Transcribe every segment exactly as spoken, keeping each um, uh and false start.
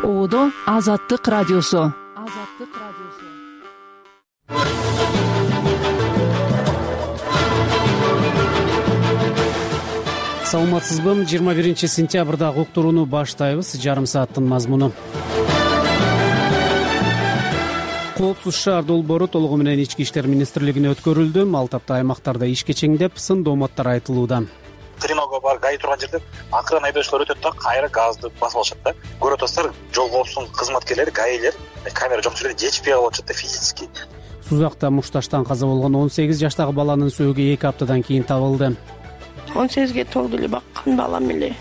Оодо Азаттык радиосу. Азаттык радиосу. Саламатсызбы? жыйырма биринчи сентябрдагы уктурууну баштайбыз. Жарым сааттын мазмуну. Коопсуз шаар долбоору толугу менен Ички иштер министрлигине өткөрүлдү. Ал тапта аймактарда иш кечеңдеп, сын дооматтар айтылууда. Тринога бар, гай турган жерде акырын айдоочулар өтөт да, кайра газды басып алышат да. Көрүп атасыздар, жол коопсуздугунун кызматкерлери, гаилер камера жок жерде жетишпей калып атышат да физически. Сузакта мушташтан каза болгон он сегиз жаштагы баланын сөөгү эки аптадан кийин табылды. он сегизге толду эле баккан балам эле.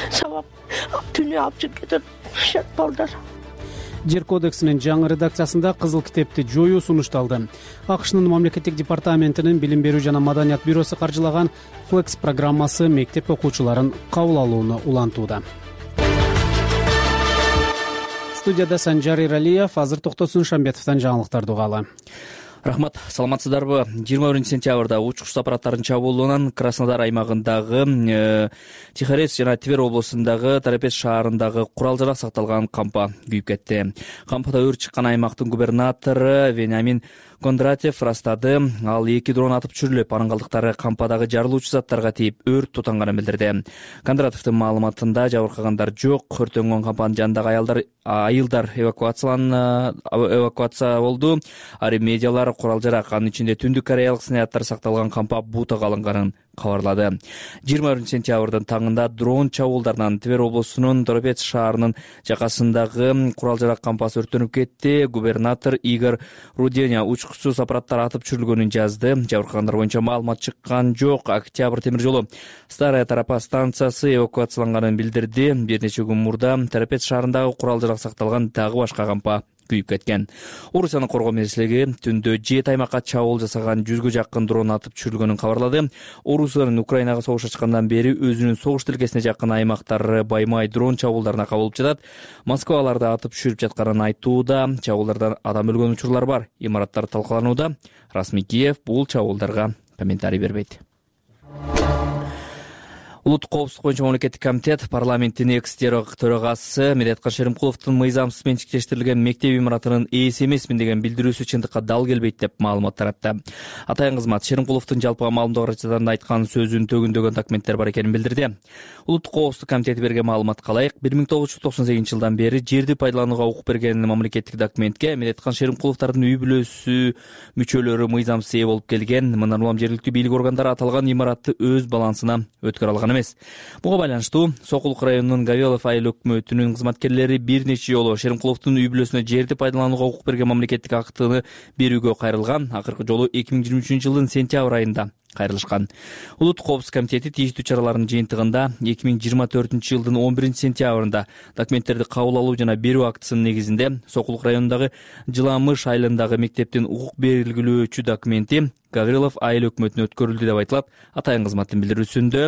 Сабап түнү алып чыгып кетет. Шат балдар. Жер кодексинин жаңы редакциясында кызыл китепти жоюу сунушталды. АКШнын мамлекеттик департаментинин билим берүү жана маданият бюросу каржылаган Flex программасы мектеп окуучуларын кабыл алууну улантууда. Студияда Санжар Иралиев, азыр Токтосун Шамбетовдон жаңылыктарды угалы. Рахмат, саламатсыздарбы? жыйырма биринчи сентябрда учкуч аппараттарынын чабуулунан Краснодар аймагындагы Тихорецк жана Тver облусундагы Торопец шаарындагы курал-жарак сакталган кампа күйүп кетти. Кампада өрт чыккан аймактын губернатору Вениамин Кондратьев ырастады. Ал эки дрон атып түшүрүлүп, анын калдыктары кампадагы жарылуучу заттарга тиип өрт тутанганын билдирди. Кондратьевдин маалыматында жабыркагандар жок. Өрттөнгөн кампанын жанындагы аялдар айылдар эвакуациялан эвакуация болду. Ари медиалар курал-жарак, анын ичинде түндүк кореялык снаряддар сакталган кампа бутага алынганын кабарлады. жыйырма биринчи сентябрдын таңында дрон чабуулдарынан Тver облусунун Торопец шаарынын жакасындагы курал-жарак кампасы өрттөнүп кетти. Губернатор Игорь Руденя учкучсуз аппараттар атып түшүрүлгөнүн жазды. Жабыркагандар боюнча маалымат чыккан жок. Октябрь темир жолу Старая Торопа станциясы эвакуацияланганын билдирди. Бир нече күн мурда Торопец шаарындагы курал-жарак сакталган дагы башка кампа күйүп кеткен. Орусиянын коргоо министрлиги түндө жети аймакка чабуул жасаган жүзгө жакын дрон атып түшүрүлгөнүн кабарлады. Орусиянын Украинага согуш ачкандан бери өзүнүн согуш тилкесине жакын аймактары баймай дрон чабуулдарына кабылып жатат. Москва аларды атып түшүрүп жатканын айтууда. Чабуулдардан адам өлгөн учурлар бар. Имараттар талкаланууда. Расмий Киев бул чабуулдарга комментарий бербейт. Улуттук коопсуздук боюнча мамлекеттик комитет парламенттин экс-төрагасы төрагасы Медеткан Шеримкуловдун мыйзамсыз менчиктештирилген мектеп имаратынын ээси эмесмин деген билдирүүсү чындыкка дал келбейт деп маалымат таратты. Атайын кызмат Шеримкуловдун жалпыга маалымдоо каражатында айткан сөзүн төгүндөгөн документтер бар экенин билдирди. Улуттук коопсуздук комитети берген маалыматка ылайык, бир миң тогуз жүз токсон сегизинчи жылдан бери жерди пайдаланууга укук берген мамлекеттик документке Медеткан Шеримкуловдордун үй бүлөсү мүчөлөрү мыйзамсыз ээ болуп келген. Мындан улам жергиликтүү бийлик органдары аталган имаратты өз балансына өткөрө алган эмес. Буга байланыштуу Сокулук районунун Гавелов айыл өкмөтүнүн кызматкерлери бир нече жолу Шеримкуловдун үй бүлөсүнө жерди пайдаланууга укук берген мамлекеттик актыны берүүгө кайрылган. Акыркы жолу эки миң жыйырма үчүнчү жылдын сентябрь айында кайрылышкан. Улуттук коопсуздук комитети тийиштүү чаралардын жыйынтыгында эки миң жыйырма төртүнчү жылдын он биринчи сентябрында документтерди кабыл алуу жана берүү актысынын негизинде Сокулук районундагы Жыламыш айылындагы мектептин укук белгилөөчү документи Гаврилов айыл өкмөтүнө өткөрүлдү деп айтылат. Атайын кызматтын билдирүүсүндө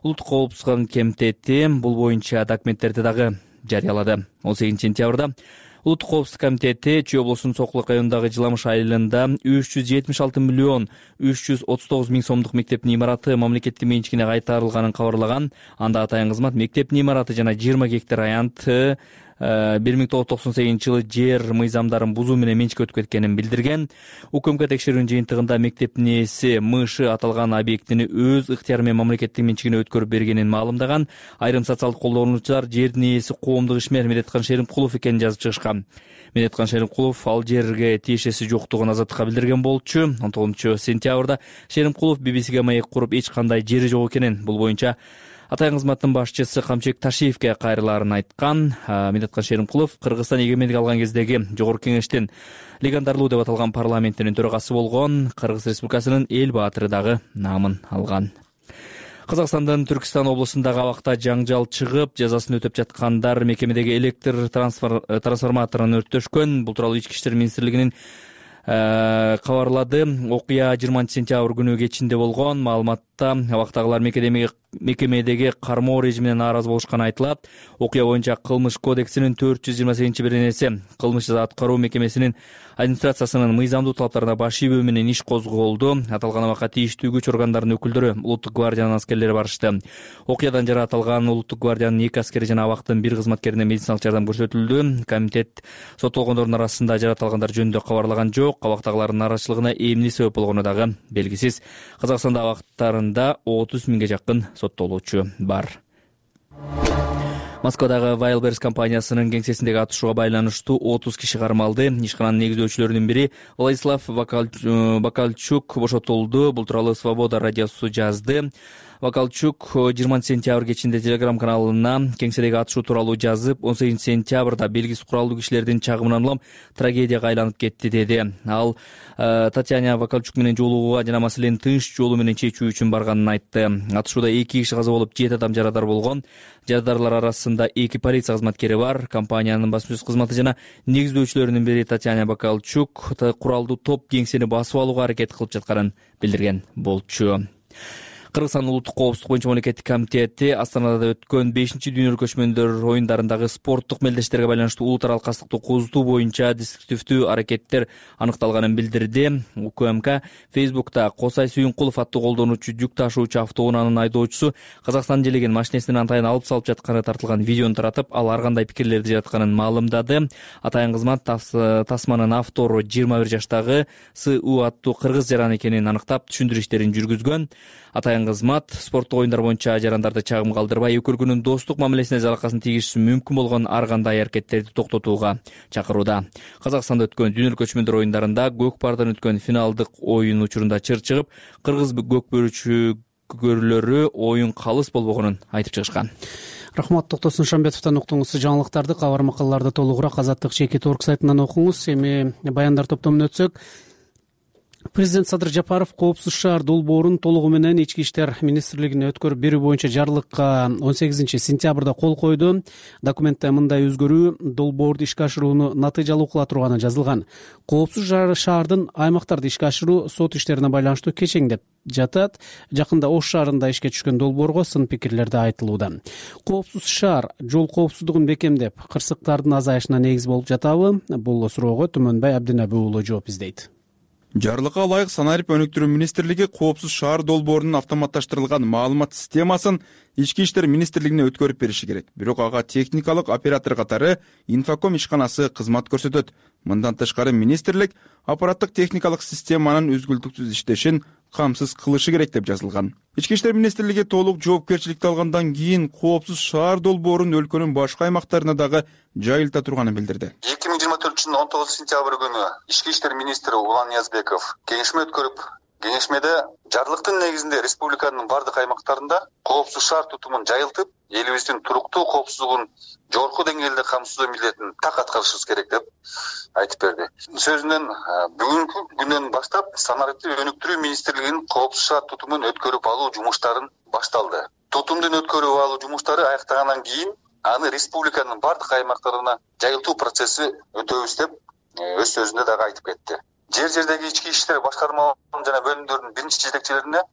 Улуттук коопсуздук комитети бул боюнча документтерди дагы жарыялады. он сегизинчи сентябрда Улуттук коопсуздук комитети Чүй облусунун Сокулук районундагы Жыламыш айылында үч жүз жетимиш алты миллион үч жүз отуз тогуз миң сомдук мектептин имараты мамлекеттин менчигине кайтарылганын кабарлаган. Анда атайын кызмат мектептин имараты жана жыйырма гектар аянты бир миң тогуз жүз токсон сегизинчи жылы жер мыйзамдарын бузуу менен менчикке өтүп кеткенин билдирген. УКМК текшерүүнүн жыйынтыгында мектептин ээси МШ аталган объектини өз ыктыяры менен мамлекеттин менчигине өткөрүп бергенин маалымдаган. Айрым социалдык колдонуучулар жердин ээси коомдук ишмер Медеткан Шеримкулов экенин жазып чыгышкан. Медеткан Шеримкулов ал жерге тиешеси жоктугун азаттыкка билдирген болчу. он тогузунчу сентябрда Шеримкулов би би сиге маек куруп эч кандай жери жок экенин, бул боюнча атайын кызматтын башчысы Камчек Ташиевке кайрылаарын айткан. Медеткан Шеримкулов Кыргызстан эгемендик алган кездеги Жогорку Кеңештин легендарлуу деп аталган парламентинин төрагасы болгон. Кыргыз Республикасынын эл баатыры дагы наамын алган. Казакстандын Түркистан облусундагы абакта жаңжал чыгып, жазасын өтөп жаткандар мекемедеги электр трансформаторун өрттөшкөн. Бул тууралуу Ички иштер министрлигинин кабарлады. Окуя жыйырманчы сентябрь күнү кечинде болгон. Маалымат убакытта абактагылар мекемедеги кармоо режимине нааразы болушканы айтылат. Окуя боюнча Кылмыш кодексинин төрт жүз жыйырма сегизинчи беренеси кылмыш жаза аткаруу мекемесинин администрациясынын мыйзамдуу талаптарына баш ийбөө менен иш козголду. Аталган абакка тийиштүү күч органдарынын өкүлдөрү, улуттук гвардиянын аскерлери барышты. Окуядан жаракат улуттук гвардиянын эки аскери жана абактын бир кызматкерине медициналык жардам көрсөтүлдү. Комитет соттолгондордун арасында жаратылгандар жөнүндө кабарлаган жок. Абактагылардын нараачылыгына эмне себеп болгону дагы белгисиз. Казакстанда абактарында отуз миңге жакын соттолуучу бар. Москвадагы Wildberries компаниясынын кеңсесиндеги атышууга байланыштуу отуз киши кармалды. Ишкананын негиздөөчүлөрүнүн бири Владислав Бакальчук бошотулду. Бул тууралуу Свобода радиосу жазды. Бакальчук жыйырманчы сентябрь кечинде Telegram каналына кеңседеги атышуу тууралуу жазып, он сегизинчи сентябрда белгисиз куралдуу кишилердин чагымынан улам трагедияга айланып кетти деди. Ал Татьяна Бакальчук менен жолугууга жана маселени тынч жолу менен чечүү үчүн барганын айтты. Атышууда эки киши каза болуп, жети адам жарадар болгон. Жарадарлар арасында эки полиция кызматкери бар. Компаниянын басма сөз кызматы жана негиздөөчүлөрүнүн бири Татьяна Бакальчук куралдуу топ кеңсени басып алууга аракет кылып жатканын билдирген болчу. Кыргызстан улуттук коопсуздук боюнча мамлекеттик комитети Астанада өткөн бешинчи дүйнөлүк көчмөндөр оюндарындагы спорттук мелдештерге байланыштуу улут аралык кастыктуу козутуу боюнча деструктивдүү аракеттер аныкталганын билдирди. УКМК Фейсбукта Косай Сүйүнкулов аттуу колдонуучу жүк ташуучу автоунаанын айдоочусу Казакстан желеген машинесинин атайын алып салып жатканы тартылган видеону таратып, ал ар кандай пикирлерди жаратканын маалымдады. Атайын кызмат тасманын автору жыйырма бир жаштагы С У аттуу кыргыз жаран экенин аныктап, түшүндүрүү иштерин жүргүзгөн. Атайын кызмат спорттук оюндар боюнча жарандарды чагым калтырбай, эки өлкөнүн достук мамилесине залакасын тийгизиши мүмкүн болгон ар кандай аракеттерди токтотууга чакырууда. Казакстанда өткөн дүйнөлүк көчмөндөр оюндарында көк пардан өткөн финалдык оюн учурунда чыр чыгып, кыргыз көк бөрүчүгөрлөрү оюн калыс болбогонун айтып чыгышкан. Рахмат, Токтосун Шамбетовдон уктуңуз жаңылыктарды. Кабар макалаларды толугураак Азаттык чекит орг сайтынан окуңуз. Эми баяндар топтомуна өтсөк, Президент Садыр Жапаров коопсуз шаар долбоорун толугу менен Ички иштер министрлигине өткөрүп берүү боюнча жарлыкка он сегизинчи сентябрда кол койду. Документте мындай өзгөрүү долбоорду ишке ашырууну натыйжалуу кыла турганы жазылган. Коопсуз шаардын аймактарды ишке ашыруу сот иштерине байланыштуу кечеңдеп жатат. Жакында Ош шаарында ишке түшкөн долбоорго сын пикирлерди айтылууда. Коопсуз шаар жол коопсуздугун бекемдеп, кырсыктардын азайышына негиз болуп жатабы? Бул суроого Түмөнбай Абдинабы уулу жооп издейт. Жарлыкка ылайык Санарип өнүктүрүү министрлиги коопсуз шаар долбоорунун автоматташтырылган маалымат системасын Ички иштер министрлигине өткөрүп бериши керек. Бирок ага техникалык оператор катары Инфоком ишканасы кызмат көрсөтөт. Мындан тышкары министрлик аппараттык техникалык системанын үзгүлтүксүз иштешин камсыз кылышы керек деп жазылган. Ички иштер министрлиги толук жоопкерчиликти алгандан кийин коопсуз шаар долбоорун өлкөнүн башка аймактарына дагы жайылта турганын билдирди. эки миң жыйырма төртүнчү жылдын он тогузунчу сентябрь күнү Ички иштер министри Улан Ниязбеков кеңешме өткөрүп, кеңешмеде жарлыктын негизинде республиканын бардык аймактарында коопсуз шаар тутумун жайылтып, элибиздин туруктуу коопсуздугун жогорку деңгээлде камсыздоо милдетин так аткарышыбыз керек деп айтып берди. Сөзүнөн бүгүнкү күндөн баштап Санарипти өнүктүрүү министрлигинин коопсуз шаар тутумун өткөрүп алуу жумуштарын башталды. Тутумдун өткөрүп алуу жумуштары аяктагандан кийин аны республиканын бардык аймактарына жайылтуу процесси өтөбүз деп өз сөзүндө дагы айтып кетти. Жер жердеги ички иштер башкармаларынын жана бөлүмдөрдүн биринчи жетекчилерине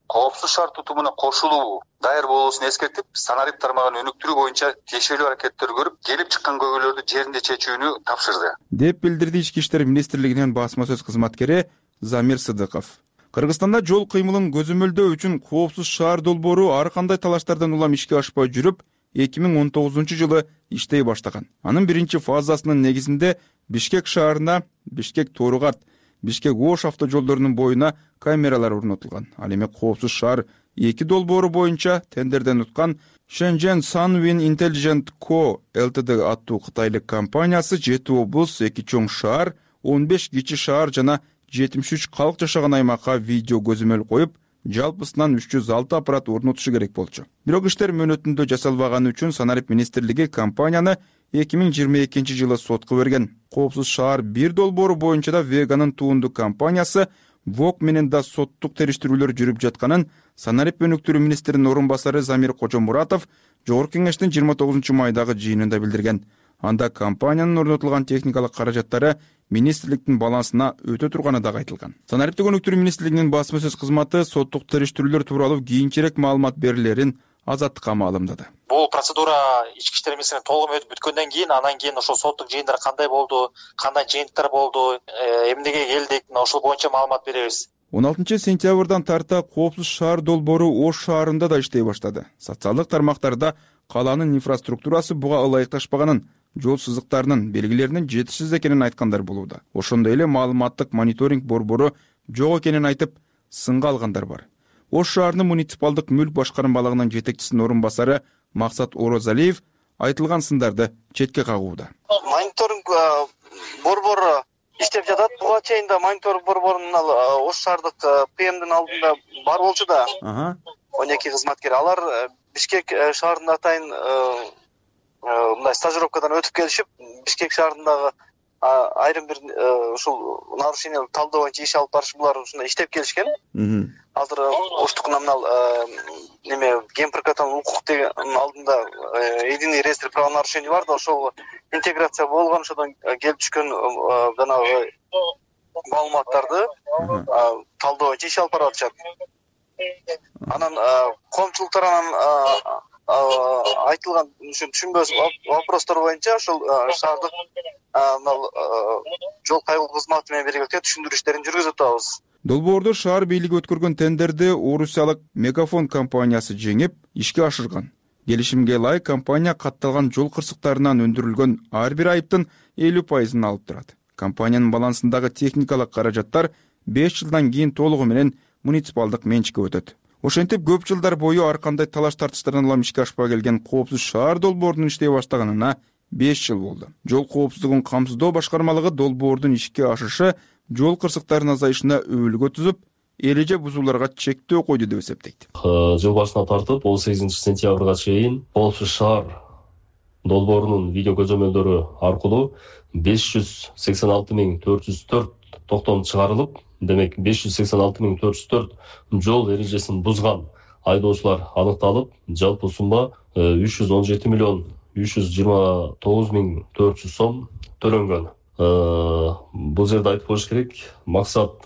коопсуз шаар тутумуна кошулуу даяр болуусун эскертип, Санарип тармагын өнүктүрүү боюнча тиешелүү аракеттер көрүп, келип чыккан көйгөйлөрдү жеринде чечүүнү тапшырды деп билдирди Ички иштер министрлигинин басма сөз кызматкери Замир Сыдыков. Кыргызстанда жол кыймылын көзөмөлдөө үчүн коопсуз шаар долбоору ар кандай талаштардан улам ишке ашпай жүрүп, эки миң он тогузунчу жылы иштей баштаган. Анын биринчи фазасынын негизинде Бишкек шаарына, Бишкек Тооругарт, Бишкек Ош автожолдорунун боюна камералар орнотулган. Ал эми коопсуз шаар эки долбоору боюнча тендерден уткан Shenzhen Sunwin Intelligent Co Ltd аттуу кытайлык компаниясы жети облус, эки чоң шаар, он беш кичи шаар жана жетимиш үч калк жашаган аймакка видео көзөмөл коюп, жалпысынан үч жүз алты аппарат орнотушу керек болчу. Бирок иштер мөөнөтүндө жасалбаганы үчүн Санарип министрлиги компанияны эки миң жыйырма экинчи жылы сотко берген. Коопсуз шаар бир долбоору боюнча да Веганын туунду компаниясы ВОК менен да соттук териштирүүлөр жүрүп жатканын Санарип өнүктүрүү министринин орун басары Замир Кожомуратов Жогорку кеңештин жыйырма тогузунчу майдагы жыйынында билдирген. Анда компаниянын орнотулган техникалык каражаттары министрликтин балансына өтө турганы дагы айтылган. Санариптик өнүктүрүү министрлигинин басма сөз кызматы соттук териштирүүлөр тууралуу кийинчерээк маалымат берилерин Азаттыкка маалымдады. Бул процедура ички иштер министрлигинин толугу өтүп бүткөндөн кийин, анан кийин ошол соттук жыйындар кандай болду, кандай жыйынтыктар болду, эмнеге келдик, ошол боюнча маалымат беребиз. он алтынчы сентябрдан тарта Коопсуз шаар долбоору Ош шаарында да иштей баштады. Социалдык тармактарда калаанын инфраструктурасы буга ылайыкташпаганын, жол сызыктарынын белгилеринин жетишсиз экенин айткандар болууда. Ошондой эле маалыматтык мониторинг борбору жок экенин айтып, сынга алгандар бар. Ош шаарынын муниципалдык мүлк башкармалыгынын жетекчисинин орун басары Максат Орозалиев айтылган сындарды четке кагууда. Мониторинг борбору иштеп жатат. Буга чейин да мониторинг борборунун Ош шаардык ПМдин алдында бар болчу да. он эки кызматкер. Алар Бишкек шаарында атайын мындай стажировкадан өтүп келишип, Бишкек шаарындагы айрым бир ушул нарушение талдоо боюнча иш алып барыш, булар ушундай иштеп келишкен. Азыр Оштук номинал неме ген прокатынан укук деген алдында единый реестр правонарушений бар да, ошол интеграция болгон, ошодон келип түшкөн жанагы маалыматтарды талдоо боюнча иш алып барып атышат. Анан коомчулуктар анан айтылган түшүнбөс вопростор боюнча ошол шаардык жол кайгылуу кызматы менен биргеликте түшүндүрүү иштерин жүргүзүп атабыз. Долбоорду шаар бийлиги өткөргөн тендерди Орусиялык Мегафон компаниясы жеңип, ишке ашырган. Келишимге ылайык компания катталган жол кырсыктарынан өндүрүлгөн ар бир айыптын элүү пайызын алып турат. Компаниянын балансындагы техникалык каражаттар беш жылдан кийин толугу менен муниципалдык менчикке өтөт. Ошентип көп жылдар бою ар кандай талаш тартыштардан улам ишке ашпай келген Коопсуз шаар долбоорунун иштей баштаганына беш жыл болду. Жол коопсуздугун камсыздоо башкармалыгы долбоордун ишке ашышы жол кырсыктарынын азайышына өбөлгө түзүп, эреже бузууларга чектөө койду деп эсептейт. Жыл башынан тартып он сегизинчи сентябрга чейин Коопсуз шаар долбоорунун видео көзөмөлдөрү аркылуу беш жүз сексен алты миң төрт жүз төрт токтом чыгарылып, демек беш жүз сексен алты миң төрт жүз төрт жол эрежесин бузган айдоочулар аныкталып, жалпы сумма үч жүз он жети миллион үч жүз жыйырма тогуз миң төрт жүз сом төлөнгөн. Бул жерде айтып коюш керек, максат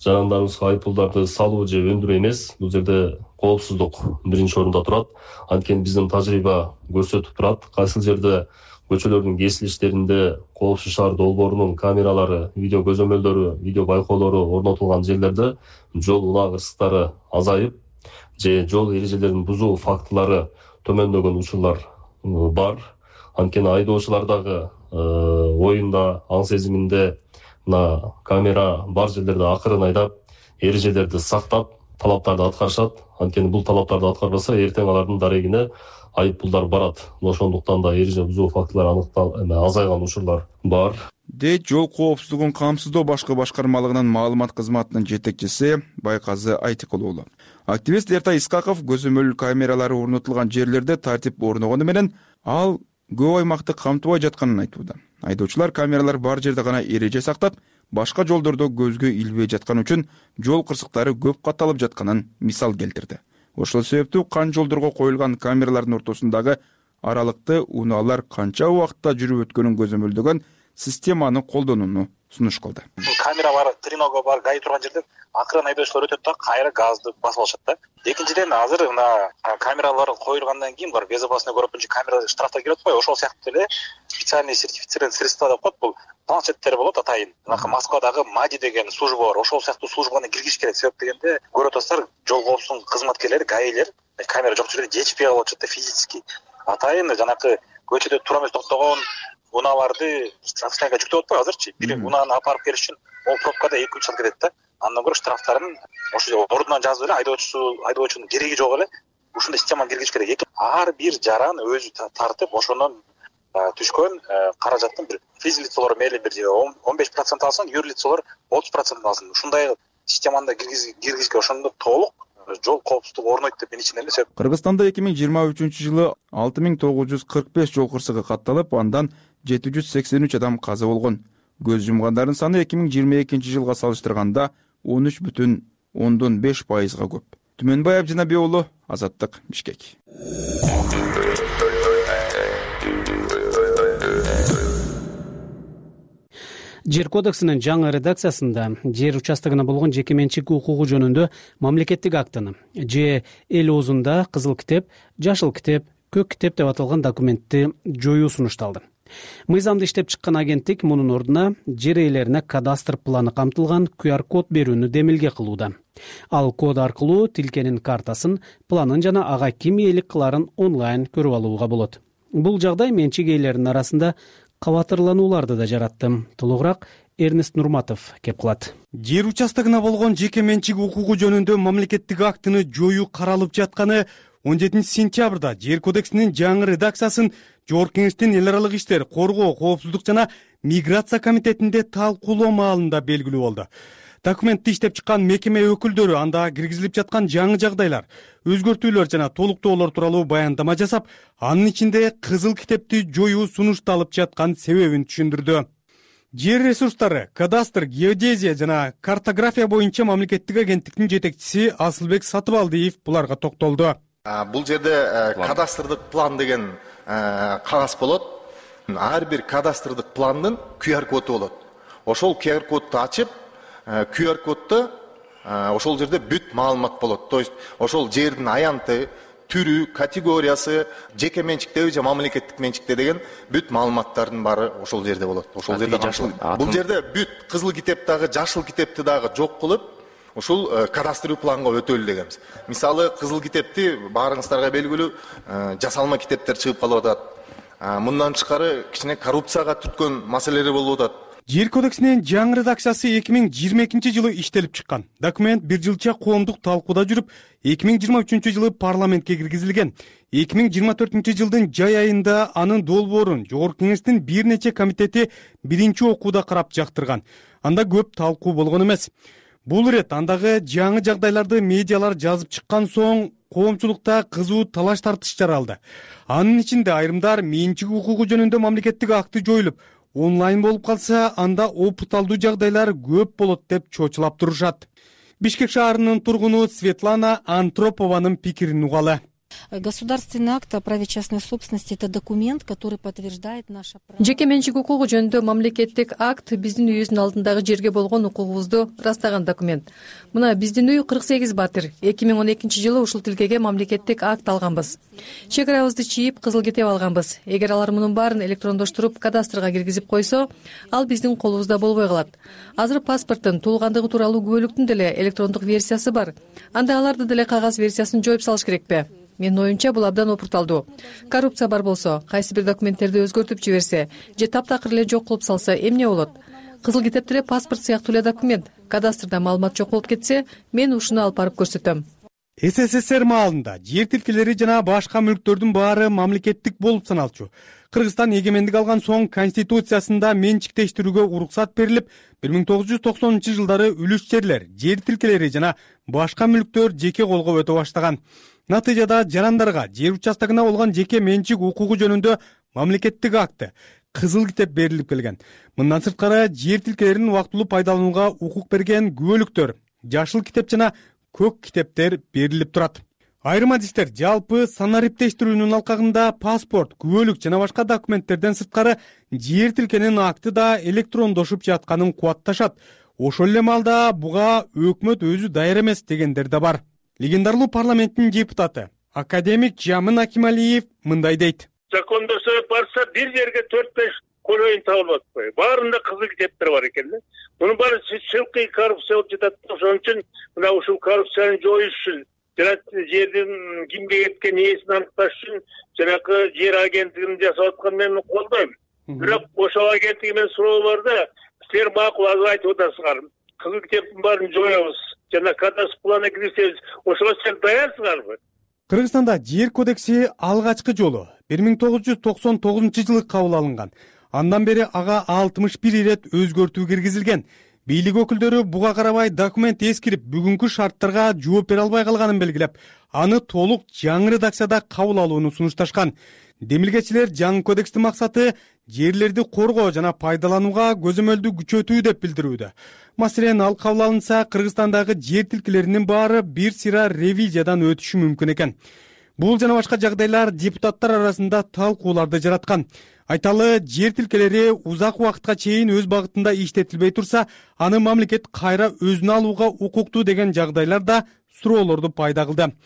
жарандарыбызга айыппулдарды салуу же өндүрүү эмес. Бул жерде коопсуздук биринчи орунда турат. Анткени биздин тажрыйба көрсөтүп турат, кайсыл жерде көчөлөрдүн кесилиштеринде Коопсуз шаар долбоорунун камералары, видео көзөмөлдөрү, видео байкоолору орнотулган жерлерде жол унаа кырсыктары азайып же жол эрежелерин бузуу фактылары төмөндөгөн учурлар бар. Анткени айдоочулардагы оюнда, аң сезиминде мына камера бар жерлерде акырын айдап, эрежелерди сактап, талаптарды аткарышат. Анткени бул талаптарды аткарбаса, эртең алардын дарегине айыппулдар барат. Ошондуктан да эреже бузуу фактылары аныктал азайган учурлар бар. Дейт жол коопсуздугун камсыздоо башкы башкармалыгынын маалымат кызматынын жетекчиси Байказы Айтыкул уулу. Активист Эртай Искаков көзөмөл камералары орнотулган жерлерде тартип орногону менен ал көп аймакты камтыбай жатканын айтууда. Айдоочулар камералар бар жерде гана эреже сактап, башка жолдордо көзгө илбей жаткан үчүн жол кырсыктары көп катталып жатканын мисал келтирди. Ошол себептүү кан жолдорго коюлган камералардын ортосундагы аралыкты унаалар канча убакытта жүрүп өткөнүн көзөмөлдөгөн системаны колдонууну сунуш кылды. Камера бар, тренога бар, гай турган жерде акырын айдоочулар өтөт да, кайра газды басып алышат да. Экинчиден, азыр мына камералар коюлгандан кийин булар безопасный көрүп камера штрафтар келип атпайбы? Ошол сыяктуу эле специальный сертифицированный средства деп коет, бул планшеттер болот атайын. Мына Москвадагы МАДИ деген служба бар. Ошол сыяктуу службаны киргизиш керек. Себеп дегенде, көрүп атасыздар, жол коопсуздугунун кызматкерлери, гаилер камера жок жерде жетишпей калып атышат да физически. Атайын жанакы көчөдө тура эмес токтогон унааларды штрафтайга жүктөп атпайбы азырчы? Бир унааны алып барып келиш үчүн ол пробкада эки үч саат кетет да. Андан көрө штрафтарын ошо ордунан жазып эле айдоочусу, айдоочунун кереги жок эле ушундай системаны киргизиш керек. Ар бир жаран өзү тартып, ошондон түшкөн каражаттын бир физлицолор мейли бир он беш процент алсын, юрлицолор отуз процент алсын. Ушундай системаны киргизишке ошондо толук жол коопсуздугу орнойт деп мен ичинен эсеп. Кыргызстанда эки миң жыйырма үчүнчү жылы алты миң тогуз жүз кырк беш жол кырсыгы катталып, андан жети жүз сексен үч адам каза болгон. Көз жумгандардын саны эки миң жыйырма экинчи жылга салыштырганда он үч бүтүн ондон беш пайызга көп. Түмөнбай Абдинабек уулу, Азаттык, Бишкек. Жер кодексинин жаңы редакциясында жер участогуна болгон жеке менчик укугу жөнүндө мамлекеттик актыны же эл оозунда кызыл китеп, жашыл китеп, көк китеп деп аталган документти жоюу сунушталды. Мыйзамды иштеп чыккан агенттик мунун ордуна жер ээлерине кадастр планы камтылган ку ар код берүүнү демилге кылууда. Ал код аркылуу тилкенин картасын, планын жана ага ким ээлик кыларын онлайн көрүп алууга болот. Бул жагдай менчик ээлеринин арасында кабатырланууларды да жаратты. Толугураак Эрнест Нурматов кеп кылат. Жер участогуна болгон жеке менчик укугу жөнүндө мамлекеттик актыны жоюу каралып жатканы он жетинчи сентябрда жер кодексинин жаңы редакциясын Жогорку Кеңештин эл аралык иштер, коргоо, коопсуздук жана миграция комитетинде талкуулоо маалында белгилүү болду. Документти иштеп чыккан мекеме өкүлдөрү анда киргизилип жаткан жаңы жагдайлар, өзгөртүүлөр жана толуктоолор тууралуу баяндама жасап, анын ичинде кызыл китепти жоюу сунушталып жаткан себебин түшүндүрдү. Жер ресурстары, кадастр, геодезия жана картография боюнча мамлекеттик агенттиктин жетекчиси Асылбек Сатыбалдиев буларга токтолду. Бул жерде кадастрдык план деген кагаз болот. Ар бир кадастрдык пландын ку ар коду болот. Ошол ку ар кодду ачып, ку ар коддо ошол жерде бүт маалымат болот. То есть ошол жердин аянты, түрү, категориясы, жеке менчиктеби же мамлекеттик менчикте деген бүт маалыматтардын баары ошол жерде болот. Ошол жерде камтылат. Бул жерде бүт кызыл китеп дагы, жашыл китепти дагы жок кылып, ушул кадастрлуу планга өтөлү дегенбиз. Мисалы, кызыл китепти баарыңыздарга белгилүү жасалма китептер чыгып калып атат. Мындан тышкары кичине коррупцияга түрткөн маселелер болуп атат. Жер кодексинин жаңы редакциясы эки миң жыйырма экинчи жылы иштелип чыккан. Документ бир жылча коомдук талкууда жүрүп, эки миң жыйырма үчүнчү жылы парламентке киргизилген. эки миң жыйырма төртүнчү жылдын жай айында анын долбоорун Жогорку Кеңештин бир нече комитети биринчи окууда карап жактырган. Анда көп талкуу болгон эмес. Бул ирет андагы жаңы жагдайларды медиалар жазып чыккан соң коомчулукта кызуу талаш тартыш жаралды. Анын ичинде айрымдар менчик укугу жөнүндө мамлекеттик акты жоюлуп, онлайн болуп калса, анда опуталдуу жагдайлар көп болот деп чочулап турушат. Бишкек шаарынын тургуну Светлана Антропованын пикирин угалы. Государственный акт о праве частной собственности — это документ, который подтверждает наше право. Жеке менчик укугу жөнүндө мамлекеттик акт биздин үйүбүздүн алдындагы жерге болгон укугубузду ырастаган документ. Мына биздин үй кырк сегиз батир. эки миң он экинчи жылы ушул тилкеге мамлекеттик акт алганбыз. Чек арабызды чийип, кызыл китеп алганбыз. Эгер алар мунун баарын электрондоштуруп кадастрга киргизип койсо, ал биздин колубузда болбой калат. Азыр паспорттун туулгандыгы тууралуу күбөлүктүн деле электрондук версиясы бар. Анда аларды деле кагаз версиясын жоюп салыш керекпи? Менин оюмча бул абдан опурталдуу. Коррупция бар болсо, кайсы бир документтерди өзгөртүп жиберсе же таптакыр эле жок кылып салса эмне болот? Кызыл китеп деле паспорт сыяктуу эле документ. Кадастрда маалымат жок болуп кетсе, мен ушуну алып барып көрсөтөм. эс эс эс эр маалында жер тилкелери жана башка мүлктөрдүн баары мамлекеттик болуп саналчу. Кыргызстан эгемендик алган соң конституциясында менчиктештирүүгө уруксат берилип, бир миң тогуз жүз токсонунчу жылдары үлүш жерлер, жер тилкелери жана башка мүлктөр жеке колго өтө баштаган. Натыйжада жарандарга жер участогуна болгон жеке менчик укугу жөнүндө мамлекеттик акты, кызыл китеп берилип келген. Мындан сырткары жер тилкелерин убактылуу пайдаланууга укук берген күбөлүктөр, жашыл китеп жана көк китептер берилип турат. Айрым адистер жалпы санариптештирүүнүн алкагында паспорт, күбөлүк жана башка документтерден сырткары жер тилкенин акты да электрондошуп жатканын кубатташат. Ошол эле маалда буга өкмөт өзү даяр эмес дегендер да бар. Легендарлуу парламенттин депутаты академик Жамын Акималиев мындай дейт. Закондош барса бир жерге төрт беш колоюн табылып атпайбы. Баарында кызыл китептер бар экен да. Мунун баары чылкый коррупция болуп жатат. Ошон үчүн мына ушул коррупцияны жоюш үчүн жана жердин кимге кеткен ээсин аныкташ үчүн жанакы жер агенттигин жасап атканын мен колдойм. Бирок ошол агенттиги менен суроо бар да, силер макул азыр айтып атасыңар. Кызыл китептин баарын жоебуз. Жана кадастр плана кирсебиз, ошого сен даярсыңарбы? Кыргызстанда жер кодекси алгачкы жолу бир миң тогуз жүз токсон тогузунчу жылы кабыл алынган. Андан бери ага алтымыш бир ирет өзгөртүү киргизилген. Бийлик өкүлдөрү буга карабай документ эскирип, бүгүнкү шарттарга жооп бере албай калганын белгилеп, аны толук жаңы редакцияда кабыл алууну сунушташкан. Демилгечилер жаңы кодекстин максаты жерлерди коргоо жана пайдаланууга көзөмөлдү күчөтүү деп билдирүүдө. Маселен, ал кабыл алынса, Кыргызстандагы жер тилкелеринин баары бир сыйра ревизиядан өтүшү мүмкүн экен. Бул жана башка жагдайлар депутаттар арасында талкууларды жараткан. Айталы, жер тилкелери узак убакытка чейин өз багытында иштетилбей турса, аны мамлекет кайра өзүнө алууга укуктуу деген жагдайлар да суроолорду пайда кылды.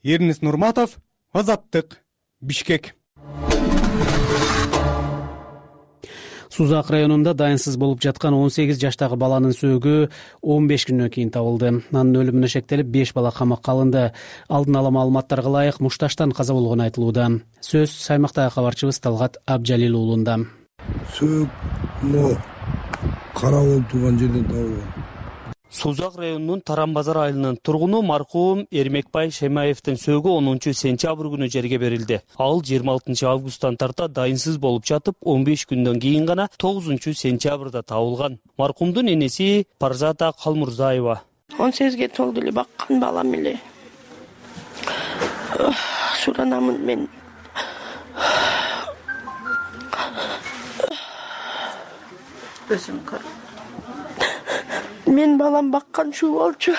Эрнис Нурматов, Азаттык, Бишкек. Сузак районунда дайынсыз болуп жаткан он сегиз жаштагы баланын сөөгү он беш күндөн кийин табылды. Анын өлүмүнө шектелип беш бала камакка алынды. Алдын ала маалыматтарга ылайык мушташтан каза болгону айтылууда. Сөз Саймактагы кабарчыбыз Талгат Абжалил уулунда. Сөөк кара болуп турган жерден табылган. Сузак районунун Таран базар айылынын тургуну маркум Эрмекбай Шемаевдин сөөгү онунчу сентябрь күнү жерге берилди. Ал жыйырма алтынчы августтан тарта дайынсыз болуп жатып, он беш күндөн кийин гана тогузунчу сентябрда табылган. Маркумдун энеси Парзата Калмурзаева. он сегизге толду эле баккан балам эле. Суранамын мен. Өзүм кар. Мен балам баккан шу болчу.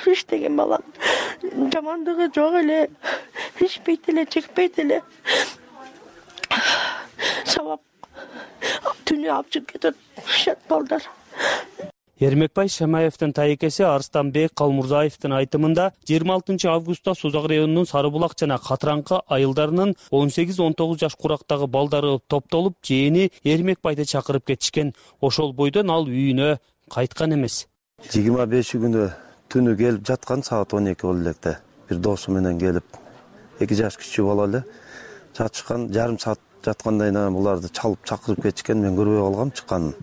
Иштеген балам. Жамандыгы жок эле. Ичпейт эле, чекпейт эле. Сабап түнү алып чыгып кетет. Шат балдар. Эрмекбай Шемаевдин тайекеси Арстанбек Калмурзаевдин айтымында жыйырма алтынчы августта Сузак районунун Сарыбулак жана Катыраңкы айылдарынын он сегиз он тогуз жаш курактагы балдары топтолуп, жээни Эрмекбайды чакырып кетишкен. Ошол бойдон ал үйүнө кайткан эмес. жыйырма беши күнү түнү келип жаткан саат он эки болду электе. Бир досу менен келип, эки жаш кичүү бала эле жатышкан, жарым саат жаткандан кийин буларды чалып чакырып кетишкен. Мен көрбөй калгам чыкканын.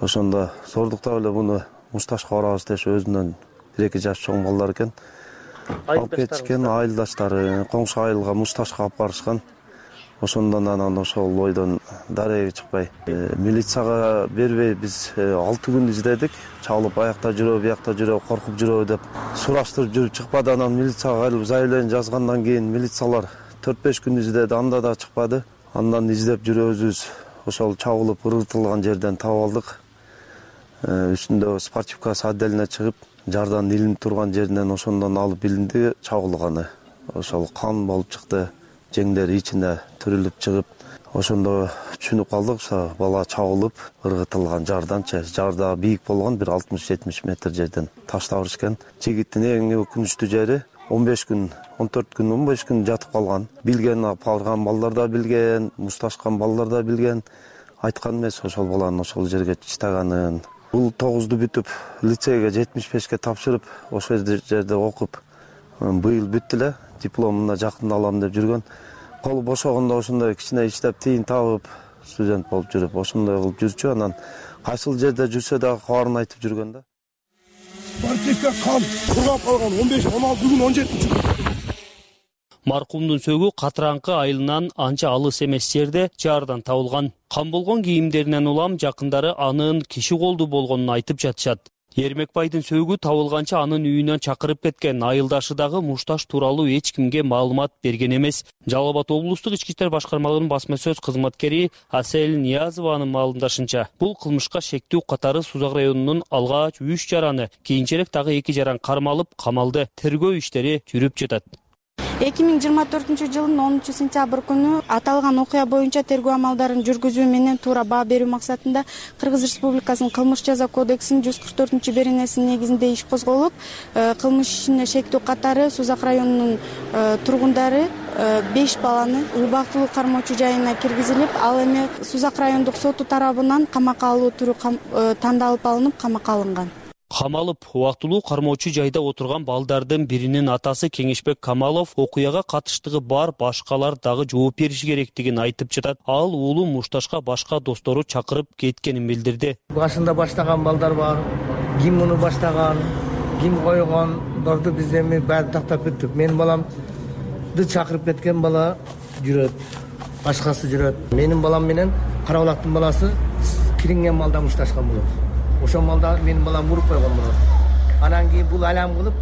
Ошондо сордуктап эле буну мушташка барабыз деши, өзүнөн бир эки жаш чоң балдар экен. Алып кетишкен, айылдаштары коңшу айылга мушташка алып барышкан. Ошондон анан ошол бойдон дареге чыкпай, милицияга бербей биз алты күн издедик. Чалып аякта жүрөбү, биякта жүрөбү, коркуп жүрөбү деп сураштырып жүрүп чыкпады. Анан милицияга кайрылып заявление жазгандан кийин милициялар төрт беш күн издеди, анда да чыкпады. Андан издеп жүрөбүз. Ошол чабылып ыргытылган жерден таап алдык. Үстүндө спортивкасы отдельно чыгып, жардан илинип турган жеринен ошондон алып билинди чабылганы. Ошол кан болуп чыкты, жеңдери ичине түрүлүп чыгып, ошондо түшүнүп калдык, бала чабылып ыргытылган жарданчы. Жарда бийик болгон, бир алтымыш жетимиш метр жерден таштап беришкен. Жигиттин эң өкүнүчтүү жери он беш күн, он төрт күн, он беш күн жатып калган. Билген алып барган балдар да билген, мушташкан балдар да билген. Айткан эмес ошол баланын ошол жерге чыйтаганын. Бул тогузду бүтүп, лицейге жетимиш бешке тапшырып, ошол жерде окуп, быйыл бүттү эле, дипломуна жакында алам деп жүргөн. Колу бошогондо ошондой кичине иштеп, тийин табып, студент болуп жүрүп, ошондой кылып жүрчү. Анан кайсыл жерде жүрсө дагы кабарын айтып жүргөн да. Спортивка кан кургап калган он беш, он алты күн, он жетинчи күн. Маркумдун сөөгү Катыраңкы айылынан анча алыс эмес жерде жардан табылган. Кан болгон кийимдеринен улам жакындары анын киши колду болгонун айтып жатышат. Эрмекбайдын сөөгү табылганча анын үйүнөн чакырып кеткен. Айылдашы дагы мушташ тууралуу эч кимге маалымат берген эмес. Жалал Абад облустук ички иштер башкармалыгынын басма сөз кызматкери Асель Ниязованын маалымдашынча, бул кылмышка шектүү катары Сузак районунун алгач үч жараны, кийинчерээк дагы эки жаран кармалып, камалды. Тергөө иштери жүрүп жатат. эки миң жыйырма төртүнчү жылдын онунчу сентябрь күнү аталган окуя боюнча тергөө амалдарын жүргүзүү менен туура баа берүү максатында Кыргыз Республикасынын кылмыш жаза кодексинин жүз кырк төртүнчү беренесинин негизинде иш козголуп, кылмыш ишине шектүү катары Сузак районунун тургундары беш баланы убактылуу кармоочу жайына киргизилип, ал эми Сузак райондук соту тарабынан камакка алуу түрү тандалып алынып, камакка алынган. Камалып, убактылуу кармоочу жайда отурган балдардын биринин атасы Кеңешбек Камалов окуяга катыштыгы бар башкалар дагы жооп бериши керектигин айтып жатат. Ал уулу мушташка башка достору чакырып кеткенин билдирди. Башында баштаган балдар бар, ким муну баштаган, ким койгондорду биз эми баарын тактап бүттүк. Менин баламды чакырып кеткен бала жүрөт, башкасы жүрөт. Менин балам менен Карабулактын баласы киринген малда мушташкан болот. Ошол малда менин балам уруп койгон болот. Анан кийин бул алам кылып,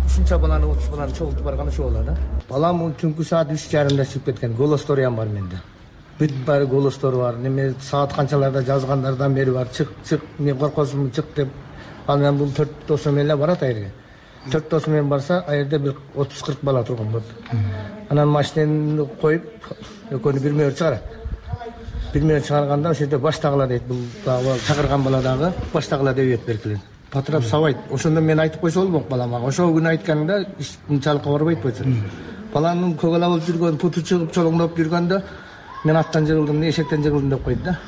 ушунча баланы, отуз баланы чогултуп барганы ошол болот да. Балам түнкү саат үч жарымда чыгып кеткен. Голостору бар менде. Бүт баары голостору бар. Неме саат канчаларда жазгандардан бери бар. Чык, чык, мен коркосумун, чык деп. Анан бул төрт досу менен барат айрге. төрт досу менен барса, ал жерде бир отуз кырк бала турган болот. Анан машинени коюп, экөөнү бир мөөр чыгарат. Бир мөөр чыгарганда ошол жерде баштагыла дейт. Бул дагы чакырган бала дагы баштагыла деп үйөт беркилет. Патрап сабайт. Ошондо мен айтып койсо болмок балама. Ошол күнү айтканда ушунчалыкка барбайт болчу. Баланын көк ала болуп жүргөн, путу чыгып, чолоңдоп жүргөндө мен аттан жыгылдым, эшектен жыгылдым деп койду да.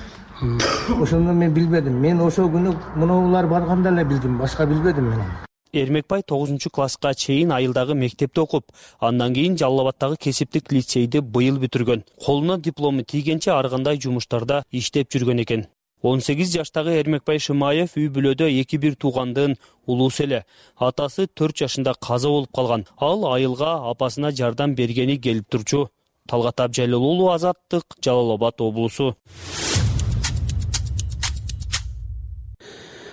Ошондо мен билбедим. Мен ошол күнү мунулар барганда эле билдим, башка билбедим мен. Эрмекбай тогузунчу класска чейин айылдагы мектепте окуп, андан кийин Жалал Абадтагы кесиптик лицейди быйыл бүтүргөн. Колуна диплому тийгенче ар кандай жумуштарда иштеп жүргөн экен. он сегиз жаштагы Эрмекбай Шымаев үй бүлөдө эки бир туугандын улуусу эле. Атасы төрт жашында каза болуп калган. Ал айылга апасына жардам бергени келип турчу. Талгат Абжалил уулу, Азаттык, Жалал Абад облусу.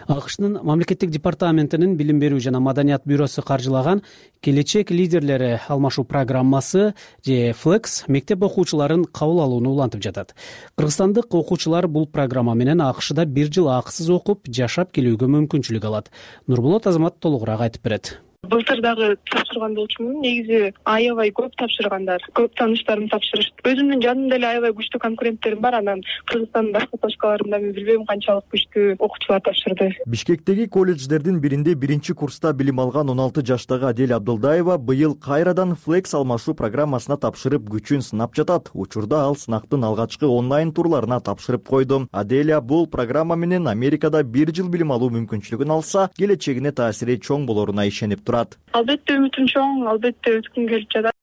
АКШнын мамлекеттик департаментинин билим берүү жана маданият бюросу каржылаган келечек лидерлери алмашуу программасы же флекс мектеп окуучуларын кабыл алууну улантып жатат. Кыргызстандык окуучулар бул программа менен АКШда бир жыл акысыз окуп, жашап келүүгө мүмкүнчүлүк алат. Нурболот Азамат толугураак айтып берет. Былтыр дагы тапшырган болчумун. Негизи аябай көп тапшыргандар, көп тааныштарым тапшырышты. Өзүмдүн жанымда эле аябай күчтүү конкуренттерим бар. Анан Кыргызстандын башка точкаларында мен билбейм канчалык күчтүү окуучулар тапшырды. Бишкектеги колледждердин биринде биринчи курста билим алган он алты жаштагы Адель Абдылдаева быйыл кайрадан флекс алмашуу программасына тапшырып күчүн сынап жатат. Учурда ал сынактын алгачкы онлайн турларына тапшырып койду. Аделя бул программа менен Америкада бир жыл билим алуу мүмкүнчүлүгүн алса, келечегине таасири чоң болоруна ишенип турат. Албетте үмүтүм чоң, албетте өткүм келип жатат.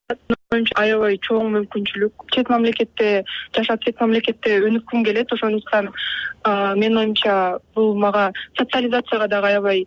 Менимче аябай чоң мүмкүнчүлүк. Чет мамлекетте жашап, чет мамлекетте өнүккүм келет. Ошондуктан менин оюмча бул мага социализацияга дагы аябай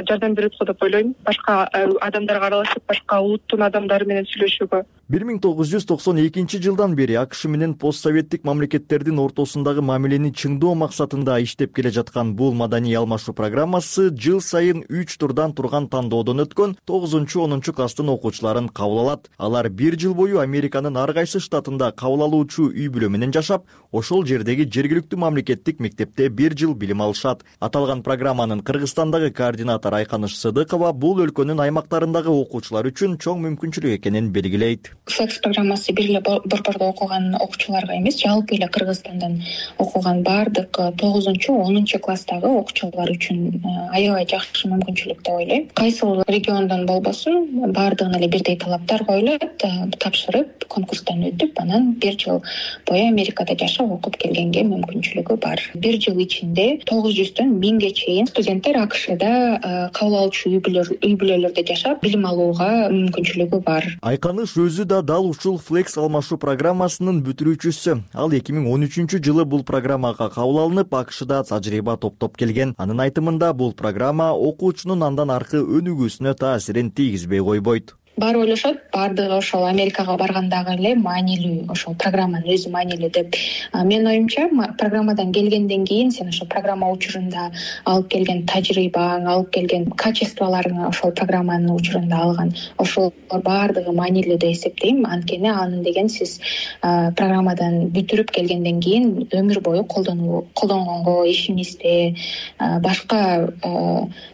жардам берет го деп ойлойм. Башка адамдарга аралашып, башка улуттун адамдары менен сүйлөшүүгө. бир миң тогуз жүз токсон экинчи жылдан бери АКШ менен постсоветтик мамлекеттердин ортосундагы мамилени чыңдоо максатында иштеп келе жаткан бул маданий алмашуу программасы жыл сайын үч турдан турган тандоодон өткөн тогузунчу онунчу класстын окуучуларын кабыл алат. Алар бир жыл бою Американын ар кайсы штатында кабыл алуучу үй бүлө менен жашап, ошол жердеги жергиликтүү мамлекеттик мектепте бир жыл билим алышат. Аталган программанын Кыргызстандагы координатор Айканыш Сыдыкова бул өлкөнүн аймактарындагы окуучулар үчүн чоң мүмкүнчүлүк экенин белгилейт. флекс программасы бир эле борбордо окуган окуучуларга эмес, жалпы эле Кыргызстандан окуган баардык тогузунчу онунчу класстагы окуучулар үчүн аябай жакшы мүмкүнчүлүк деп ойлойм. Кайсыл региондон болбосун, баардыгына эле бирдей талаптар коюлат. Тапшырып, конкурстан өтүп, анан бир жыл бою Америкада жашап окуп келгенге мүмкүнчүлүгү бар. Бир жыл ичинде тогуз жүздөн миңге чейин студенттер АКШда кабыл алуучу үй бүлөлөрдө жашап, билим алууга мүмкүнчүлүгү бар. Айканыш өзү да дал ушул флекс алмашуу программасынын бүтүрүүчүсү. Ал эки миң он үчүнчү жылы бул программага кабыл алынып, АКШда тажрыйба топтоп келген. Анын айтымында бул программа окуучунун андан аркы өнүгүүсүнө таасирин тийгизбей койбойт. Баары ойлошот, баардыгы ошол Америкага баргандагы эле маанилүү, ошол программанын өзү маанилүү деп. Менин оюмча, программадан келгенден кийин сен ошол программа учурунда алып келген тажрыйбаң, алып келген качестволорун ошол программанын учурунда алган, ошол баардыгы маанилүү деп эсептейм. Анткени анын деген сиз программадан бүтүрүп келгенден кийин өмүр бою колдонгонго, ишиңизде, башка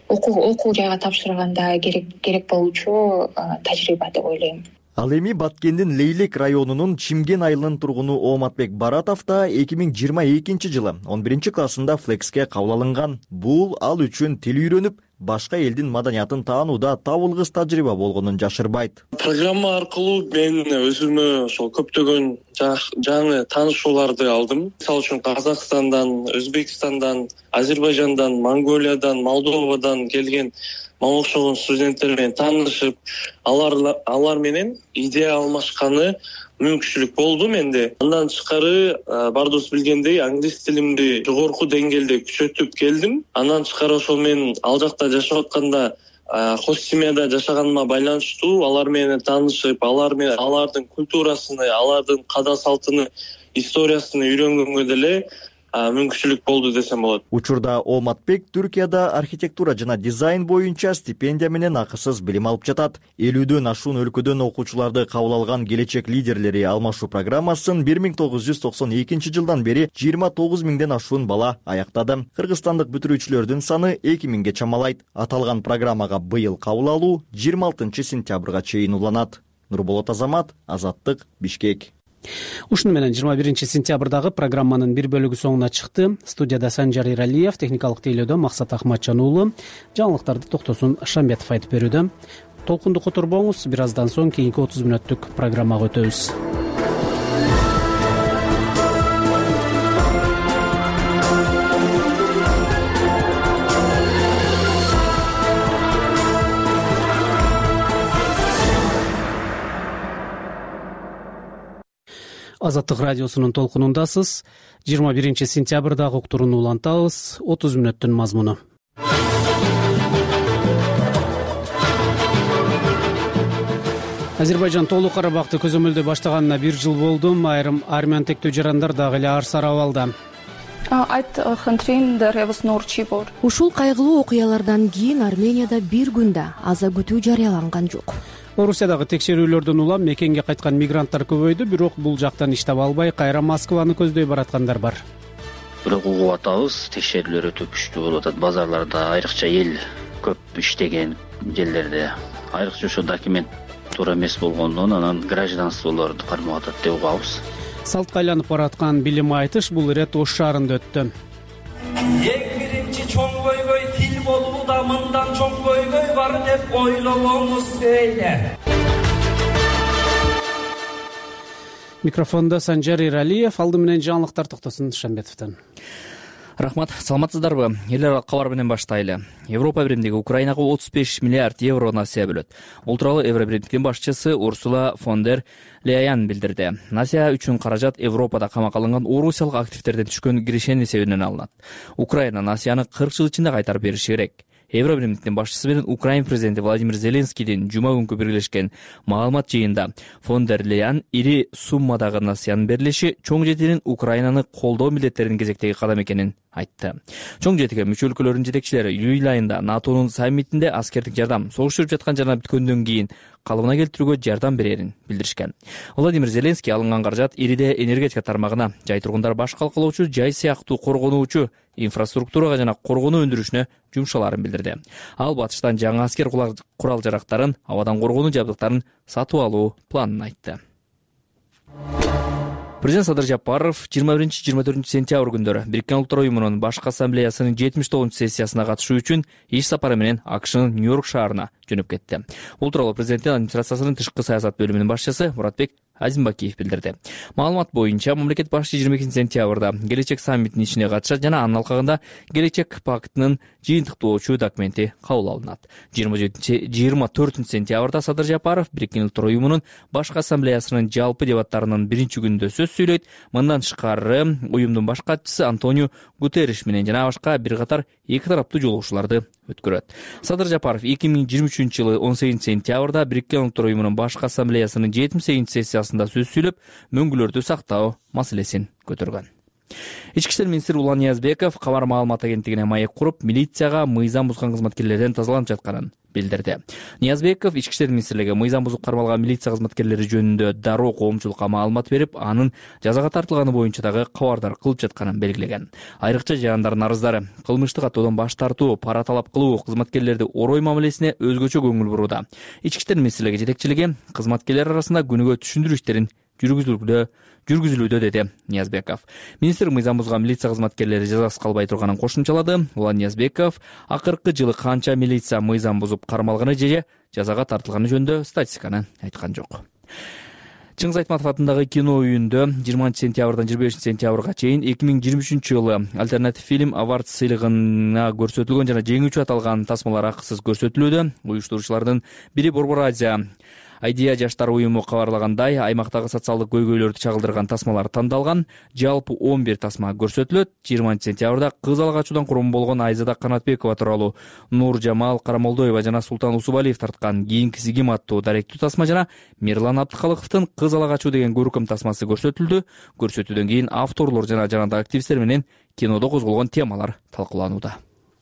окуу жайга тапшырганда керек керек болуучу тажрыйба деп ойлойм. Ал эми Баткендин Лейлек районунун Чимген айылынын тургуну Ооматбек Баратов да эки миң жыйырма экинчи жылы он биринчи классында флекске кабыл алынган. Бул ал үчүн тил үйрөнүп, башка элдин маданиятын таанууда табылгыс тажрыйба болгонун жашырбайт. Программа аркылуу мен өзүмө ошол көптөгөн жаңы таанышууларды алдым. Мисалы үчүн Казакстандан, Өзбекстандан, Азербайжандан, Монголиядан, Молдовадан келген мага окшогон студенттер менен таанышып, алар алар менен идея алмашканы мүмкүнчүлүк болду менде. Андан тышкары бардырыбыз билгендей, англис тилимди жогорку деңгээлде күчөтүп келдим. Андан тышкары ошол мен ал жакта жашап атканда хош семьяда жашаганыма байланыштуу алар менен таанышып, алар менен алардын культурасыны, алардын када салтыны, историясын үйрөнгөнгө деле мүмкүнчүлүк болду десем болот. Учурда Оматбек Түркияда архитектура жана дизайн боюнча стипендия менен акысыз билим алып жатат. элүүдөн ашуун өлкөдөн окуучуларды кабыл алган келечек лидерлери алмашуу программасын бир миң тогуз жүз токсон экинчи жылдан бери жыйырма тогуз миңден ашуун бала аяктады. Кыргызстандык бүтүрүүчүлөрдүн саны эки миңге чамалайт. Аталган программага быйыл кабыл алуу жыйырма алтынчы сентябрга чейин уланат. Нурболот Азамат, Азаттык, Бишкек. Ушуну менен жыйырма биринчи сентябрдагы программанын бир бөлүгү соңуна чыкты. Студияда Санжар Иралиев, техникалык тейлөөдө Максат Ахматжан уулу, жаңылыктарды Токтосун Шамбетов айтып берүүдө. Толкунду которбоңуз, бир аздан соң кийинки отуз мүнөттүк программага өтөбүз. Азаттык радиосунун толкунундасыз. жыйырма биринчи сентябрдагы уктурууну улантабыз. отуз мүнөттүн мазмуну. Азербайжан Тоолуу Карабакты көзөмөлдөй баштаганына бир жыл болду. Айрым армян тектөө жарандар дагы эле ар сар абалда. Ушул кайгылуу окуялардан кийин Арменияда бир күндө аза күтүү жарыяланган жок. Орусиядагы текшерүүлөрдөн улам мекенге кайткан мигранттар көбөйдү, бирок бул жактан иш таба албай кайра Москваны көздөй бараткандар бар. Бирок угуп атабыз, текшерүүлөр өтө күчтүү болуп атат. Базарларда айрыкча эл көп иштеген жерлерде айрыкча ошо документ туура эмес болгондон анан гражданстволорду кармап атат деп угабыз. Салтка айланып бараткан билим айтыш бул ирет Ош шаарында өттү. Эң биринчи чоң көйгөй тил болууда, мындан чоң көйгөй бар деп ойлогонуңуз дейли. Микрофондо Санжар Иралиев, алды менен жаңылыктар Токтосун Шамбетовдон. Рахмат, саламатсыздарбы? Эл аралык кабар менен баштайлы. Европа биримдиги Украинага отуз беш миллиард евро насыя бөлөт. Бул тууралуу Евро биримдиктин башчысы Урсула фон дер Лейен билдирди. Насыя үчүн каражат Европада камакка алынган орусиялык активдерден түшкөн киришенин эсебинен алынат. Украина насыяны кырк жыл ичинде кайтарып бериши керек. Евро биримдиктин башчысы менен Украин президенти Владимир Зеленскийдин жума күнкү биргелешкен маалымат жыйынында фон дер Лейен ири суммадагы насыянын берилиши чоң жетинин Украинаны колдоо милдеттеринин кезектеги кадам экенин айтты. Чоң жетиге мүчө өлкөлөрдүн жетекчилери июль айында НАТОнун саммитинде аскердик жардам согуш жүрүп жаткан жана бүткөндөн кийин калыбына келтирүүгө жардам берерин билдиришкен. Владимир Зеленский алынган каражат ириде энергетика тармагына, жай тургундар баш калкалоочу жай сыяктуу коргонуучу инфраструктурага жана коргонуу өндүрүшүнө жумшаларын билдирди. Ал батыштан жаңы аскер курал жарактарын, абадан коргонуу жабдыктарын сатып алуу планын айтты. Президент Садыр Жапаров жыйырма биринчи жыйырма төртүнчү сентябрь күндөрү Бириккен Улуттар уюмунун башкы ассамблеясынын жетимиш тогузунчу сессиясына катышуу үчүн иш сапары менен АКШнын Нью-Йорк шаарына жөнөп кетти. Бул тууралуу президенттин администрациясынын тышкы саясат бөлүмүнүн башчысы Муратбек Азимбакиев билдирди. Маалымат боюнча мамлекет башчысы жыйырма экинчи сентябрда келечек саммитинин ишине катышат жана анын алкагында келечек пактынын жыйынтыктоочу документи кабыл алынат. жыйырма төртүнчү сентябрда Садыр Жапаров Бириккен Улуттар уюмунун башкы ассамблеясынын жалпы дебаттарынын биринчи күнүндө сөз сүйлөйт. Мындан тышкары уюмдун баш катчысы Антонио Гутерриш менен жана башка бир катар эки тараптуу жолугушууларды өткөрөт. Садыр Жапаров эки миң жыйырма үчүнчү жылы он сегизинчи сентябрда Бириккен Улуттар уюмунун башкы ассамблеясынын жетимиш сегизинчи сессиясында сөз сүйлөп, мөңгүлөрдү сактоо маселесин көтөргөн. Ички иштер министри Улан Ниязбеков кабар маалымат агенттигине маек куруп, милицияга мыйзам бузган кызматкерлерден тазаланып жатканын билдирди. Ниязбеков ички иштер министрлиги мыйзам бузуп кармалган милиция кызматкерлери жөнүндө дароо коомчулукка маалымат берип, анын жазага тартылганы боюнча дагы кабардар кылып жатканын белгилеген. Айрыкча жарандардын арыздары кылмыштык каттоодон баш тартуу, пара талап кылуу кызматкерлерди орой мамилесине өзгөчө көңүл бурууда. Ички иштер министрлиги жетекчилиги кызматкерлер арасында күнүгө түшүндүрүү иштерин жүргүзүлүүдө жүргүзүлүүдө деди Ниязбеков. Министр мыйзам бузган милиция кызматкерлери жазасыз калбай турганын кошумчалады. Улан Ниязбеков акыркы жылы канча милиция мыйзам бузуп кармалганы же жазага тартылганы жөнүндө статистиканы айткан жок. Чыңгыз Айтматов атындагы кино үйүндө жыйырманчы сентябрдан жыйырма бешинчи сентябрга чейин эки миң жыйырма үчүнчү жылы альтернатив фильм Awards сыйлыгына көрсөтүлгөн жана жеңүүчү аталган тасмалар акысыз көрсөтүлүүдө. Уюштуруучулардын бири Борбор Азия Айдия жаштар уюму кабарлагандай, аймактагы социалдык көйгөйлөрдү чагылдырган тасмалар тандалган. Жалпы он бир тасма көрсөтүлөт. жыйырманчы сентябрда кыз ала качуудан курман болгон Айзада Канатбекова тууралуу, Нур Жамал Карамолдоева жана Султан Усубалиев тарткан Кийинкиси ким аттуу даректүү тасма жана Мирлан Абдыкалыковдун Кыз ала качуу деген көркөм тасмасы көрсөтүлдү. Көрсөтүүдөн кийин авторлор жана жанагы активисттер менен кинодо козголгон темалар талкууланууда.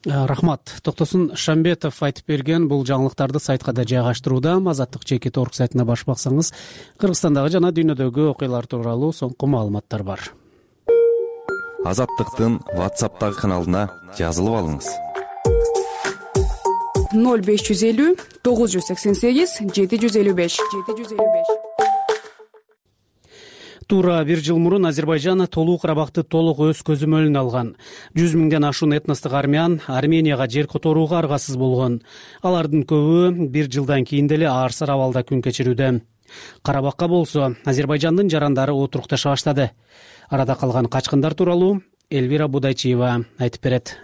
Рахмат. Токтосун Шамбетов айтып берген бул жаңылыктарды сайтка да жайгаштырууда. Азаттык чекит орг сайтына баш баксаңыз, Кыргызстандагы жана дүйнөдөгү окуялар тууралуу соңку маалыматтар бар. Азаттыктын WhatsApp'тагы каналына жазылып алыңыз. ноль беш жүз элүү тогуз жүз сексен сегиз жети жүз элүү беш жети жүз элүү беш. Туура бир жыл мурун Азербайжан Толук Карабакты толук өз көзөмөлүнө алган. жүз миңден ашуун этностук армян Арменияга жер которууга аргасыз болгон. Алардын көбү бир жылдан кийин деле аарсыр абалда күн кечирүүдө. Карабакка болсо Азербайжандын жарандары отурукташа баштады. Арада калган качкындар тууралуу Элвира Будайчиева айтып берет.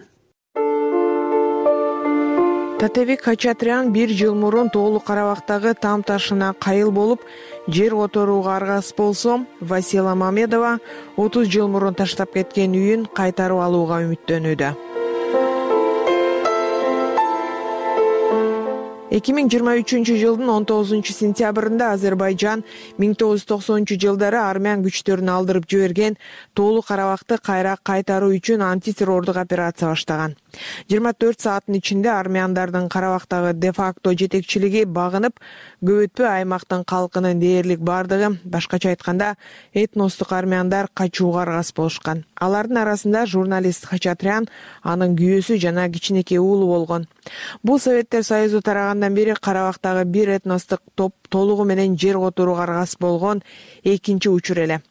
Татебек Хачатрян бир жыл мурун Тоолук Карабактагы там ташына кайыл болуп, жер которууга аргасыз болсо, Васила Мамедова отуз жыл мурун таштап кеткен үйүн кайтарып алууга үмүттөнүүдө. эки миң жыйырма үчүнчү жылдын он тогузунчу сентябрында Азербайжан миң тогуз жүз токсонунчу жылдары армян күчтөрүн алдырып жиберген Тоолук Карабакты кайра кайтаруу үчүн антитеррордук операция баштаган. жыйырма төрт сааттын ичинде армяндардын Карабактагы де-факто жетекчилиги багынып, көп өтпөй аймактын калкынын дээрлик бардыгы, башкача айтканда, этностук армяндар качууга аргасыз болушкан. Алардын арасында журналист Хачатрян, анын күйөөсү жана кичинекей уулу болгон. Бул Советтер Союзу тарагандан бери Карабактагы бир этностук топ толугу менен жер которууга аргасыз болгон экинчи учур эле.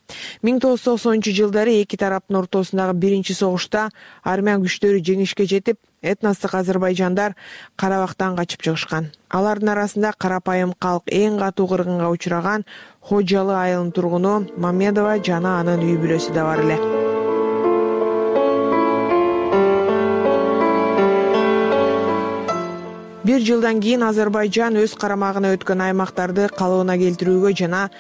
миң тогуз жүз токсонунчу жылдары эки тараптын ортосундагы биринчи согушта армян күчтөрү жеңишке жетип, этностук азербайжандар Карабактан качып чыгышкан. Алардын арасында карапайым калк эң катуу кыргынга учураган Хожалы айылынын тургуну Мамедова жана анын үй бүлөсү да бар эле. Бир жылдан кийин Азербайжан өз карамагына өткөн аймактарды калыбына келтирүүгө жана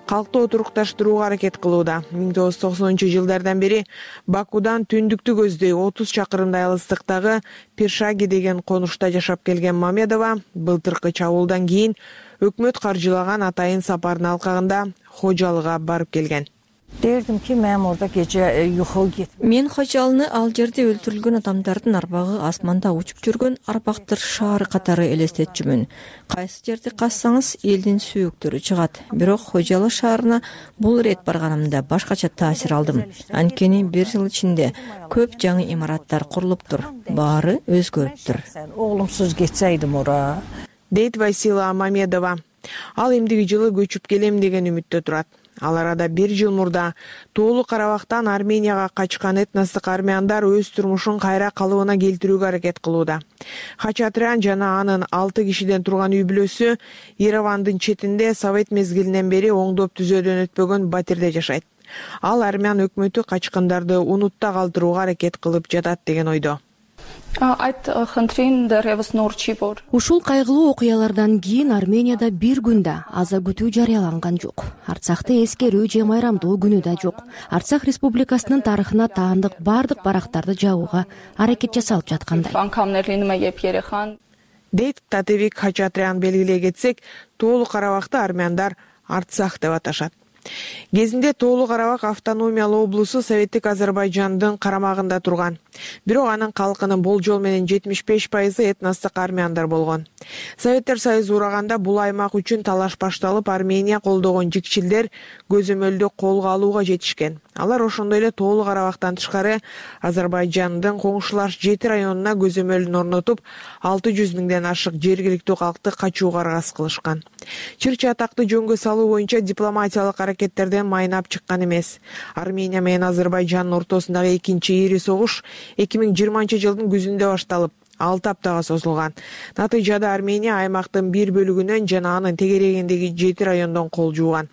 калкты отурукташтырууга аракет кылууда. миң тогуз жүз токсонунчу жылдардан бери Бакудан түндүктү көздөй отуз чакырымдай алыстыктагы Пиршаги деген конушта жашап келген Мамедова былтыркы чабуулдан кийин өкмөт каржылаган атайын сапардын алкагында Хожалыга барып келген. Derdim ki, mənim orada gece yuxu getmir. Мен Хожалыны ал жерде өлтүрүлгөн адамдардын арбагы асманда учуп жүргөн арбактыр шаары катары элестетчүмүн. Кайсы жерди казсаңыз элдин сүйүктөрү чыгат. Бирок Хожалы шаарына бул ирет барганымда башкача таасир алдым. Анткени бир жыл ичинде көп жаңы имараттар курулуптур. Баары өзгөрүптүр. Оглумсуз кетсейдим ора. Дейт Васила Мамедова. Ал эмдиги жылы көчүп келем деген үмүттө турат. Ал арада бир жыл мурда Тоолук Карабактан Арменияга качкан этностук армяндар өз турмушун кайра калыбына келтирүүгө аракет кылууда. Хачатрян жана анын алты кишиден турган үй бүлөсү Еревандын четинде Совет мезгилинен бери оңдоп түзөөдөн өтпөгөн батирде жашайт. Ал армян өкмөтү качкындарды унутта калтырууга аракет кылып жатат деген ойдо. Ушул кайгылуу окуялардан кийин Арменияда бир күндө аза күтүү жарыяланган жок. Арцахта эскерүү же майрамдуу күнү да жок. Арцах Республикасынын тарыхына таандык бардык барактарды жабууга аракет жасалып жаткандай. Дейт Татебек Хачатрян. Белгилей кетсек, Тоолук Карабакты армяндар Арцах деп аташат. Кезинде Тоолук Карабак автономиялуу облусу Советтик Азербайжандын карамагында турган. Бирок анын калкынын болжол менен жетимиш беш пайызы этностук армяндар болгон. Советтер Союзу ураганда бул аймак үчүн талаш башталып, Армения колдогон жикчилдер көзөмөлдү колго алууга жетишкен. Алар ошондой эле Тоолук Карабактан тышкары Азербайжандын коңшулаш жети районуна көзөмөлүн орнотуп, алты жүз миңден ашык жергиликтүү калкты качууга аргасыз кылышкан. Чыр чатакты жөнгө салуу боюнча дипломатиялык аракеттерден майнап чыккан эмес. Армения менен Азербайжандын ортосундагы экинчи ири согуш эки миң жыйырманчы жылдын күзүндө башталып, алты аптага созулган. Натыйжада Армения аймактын бир бөлүгүнөн жана анын тегерегиндеги жети райондон кол жууган.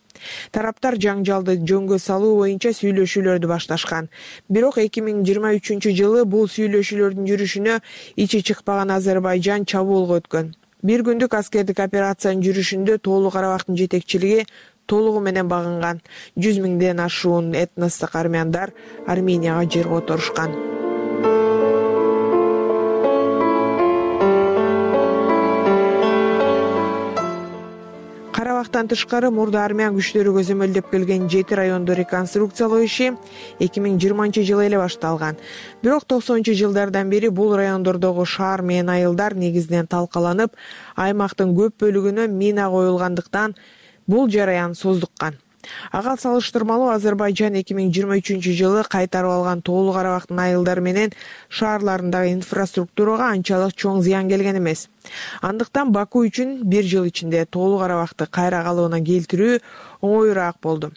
Тараптар жаңжалды жөнгө салуу боюнча сүйлөшүүлөрдү башташкан. Бирок эки миң жыйырма үчүнчү жылы бул сүйлөшүүлөрдүн жүрүшүнө ичи чыкпаган Азербайжан чабуулга өткөн. Бир күндүк аскердик операциянын жүрүшүндө Тоолук Карабактын жетекчилиги толугу менен багынган. жүз миңден ашуун этностук армяндар Арменияга жер которушкан. карабактан тышкары мурда армян күчтөрү көзөмөлдөп келген жети районду реконструкциялоо иши эки миң жыйырманчы жылы эле башталган. Бирок токсонунчу жылдардан бери бул райондордогу шаар менен айылдар негизинен талкаланып, аймактын көп бөлүгүнө мина коюлгандыктан бул жараян создуккан. Ага салыштырмалуу Азербайжан эки миң жыйырма үчүнчү жылы кайтарып алган Тоолу Карабактын айылдары менен шаарларындагы инфраструктурага анчалык чоң зыян келген эмес. Андыктан Баку үчүн бир жыл ичинде Тоолу Карабакты кайра калыбына келтирүү оңоюраак болду.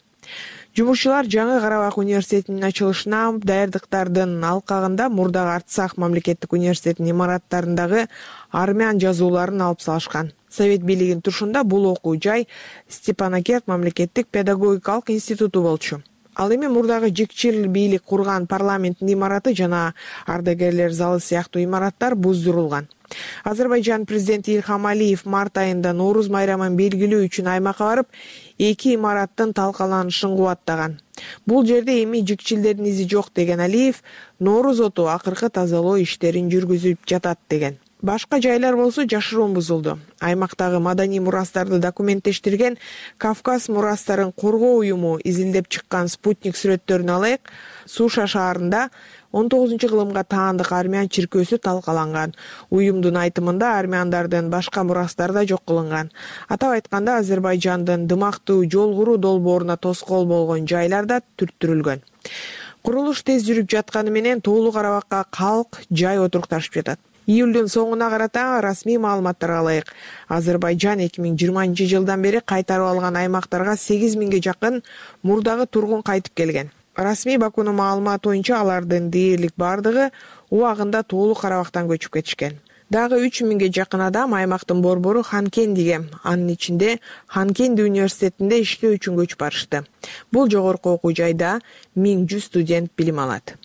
Жумушчулар жаңы Карабак университетинин ачылышына даярдыктардын алкагында мурдагы Арцах мамлекеттик университетинин имараттарындагы армян жазууларын алып салышкан. Совет бийлигинин турушунда бул окуу жай Степанакерт мамлекеттик педагогикалык институту болчу. Ал эми мурдагы жикчил бийлик курган парламенттин имараты жана ардагерлер залы сыяктуу имараттар буздурулган. Азербайжан президенти Ильхам Алиев март айында Нооруз майрамын белгилөө үчүн аймакка барып, эки имараттын талкаланышын кубаттаган. Бул жерде эми жикчилдердин изи жок деген Алиев, Нооруз оту акыркы тазалоо иштерин жүргүзүп жатат деген. Башка жайлар болсо жашыруун бузулду. Аймактагы маданий мурастарды документтештирген Кавказ мурастарын коргоо уюму изилдеп чыккан спутник сүрөттөрүн алайык. Суша шаарында он тогузунчу кылымга таандык армян чиркөөсү талкаланган. Уюмдун айтымында армяндардын башка мурастары да жок кылынган. Атап айтканда Азербайжандын дымактуу жол куруу долбооруна тоскоол болгон жайлар да түрттүрүлгөн. Курулуш тез жүрүп жатканы менен Тоолу Карабакка калк жай отурукташып жатат. Июлдун соңуна карата расмий маалыматтарга ылайык, Азербайжан эки миң жыйырманчы жылдан бери кайтарып алган аймактарга сегиз миңге жакын мурдагы тургун кайтып келген. Расмий Бакунун маалыматы боюнча алардын дээрлик бардыгы убагында Тоолу Карабактан көчүп кетишкен. Дагы үч миңге жакын адам аймактын борбору Ханкендиге, анын ичинде Ханкенди университетинде иштөө үчүн көчүп барышты. Бул жогорку окуу жайда миң жүз студент билим алат.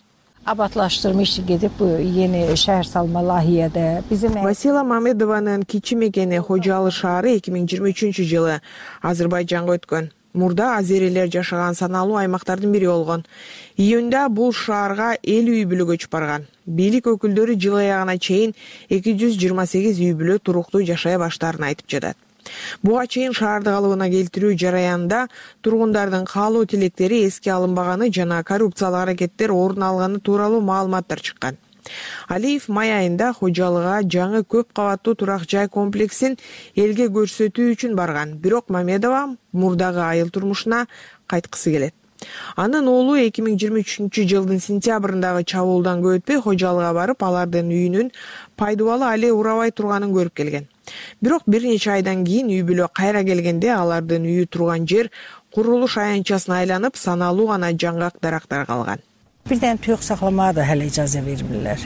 Абатлаштырма иши кетип, yeni шаар салма лахияда bizim Васила Мамедованын кичи мекени Хожалы шаары эки миң жыйырма үчүнчү жылы Азербайжанга өткөн. Мурда азерилер жашаган саналуу аймактардын бири болгон. Июнда бул шаарга элүү үй бүлө көчүп барган. Бийлик өкүлдөрү жыл аягына чейин эки жүз жыйырма сегиз үй бүлө туруктуу жашай баштаарын айтып жатат. Буга чейин шаарды калыбына келтирүү жараянында тургундардын каалоо тилектери эске алынбаганы жана коррупциялык аракеттер орун алганы тууралуу маалыматтар чыккан. Алиев май айында Хожалыга жаңы көп кабаттуу турак жай комплексин элге көрсөтүү үчүн барган. Бирок Мамедова мурдагы айыл турмушуна кайткысы келет. Анын оолу эки миң жыйырма үчүнчү жылдын сентябрындагы чабуулдан көп өтпөй Хожалыга барып, алардын үйүнүн пайдубалы але урабай турганын көрүп келген. Бирок бир нече айдан кийин үй бүлө кайра келгенде алардын үйү турган жер курулуш аянтчасына айланып, саналуу гана жаңгак дарактар калган. Birden tüyük saklamaya da hele icazə vermirlər.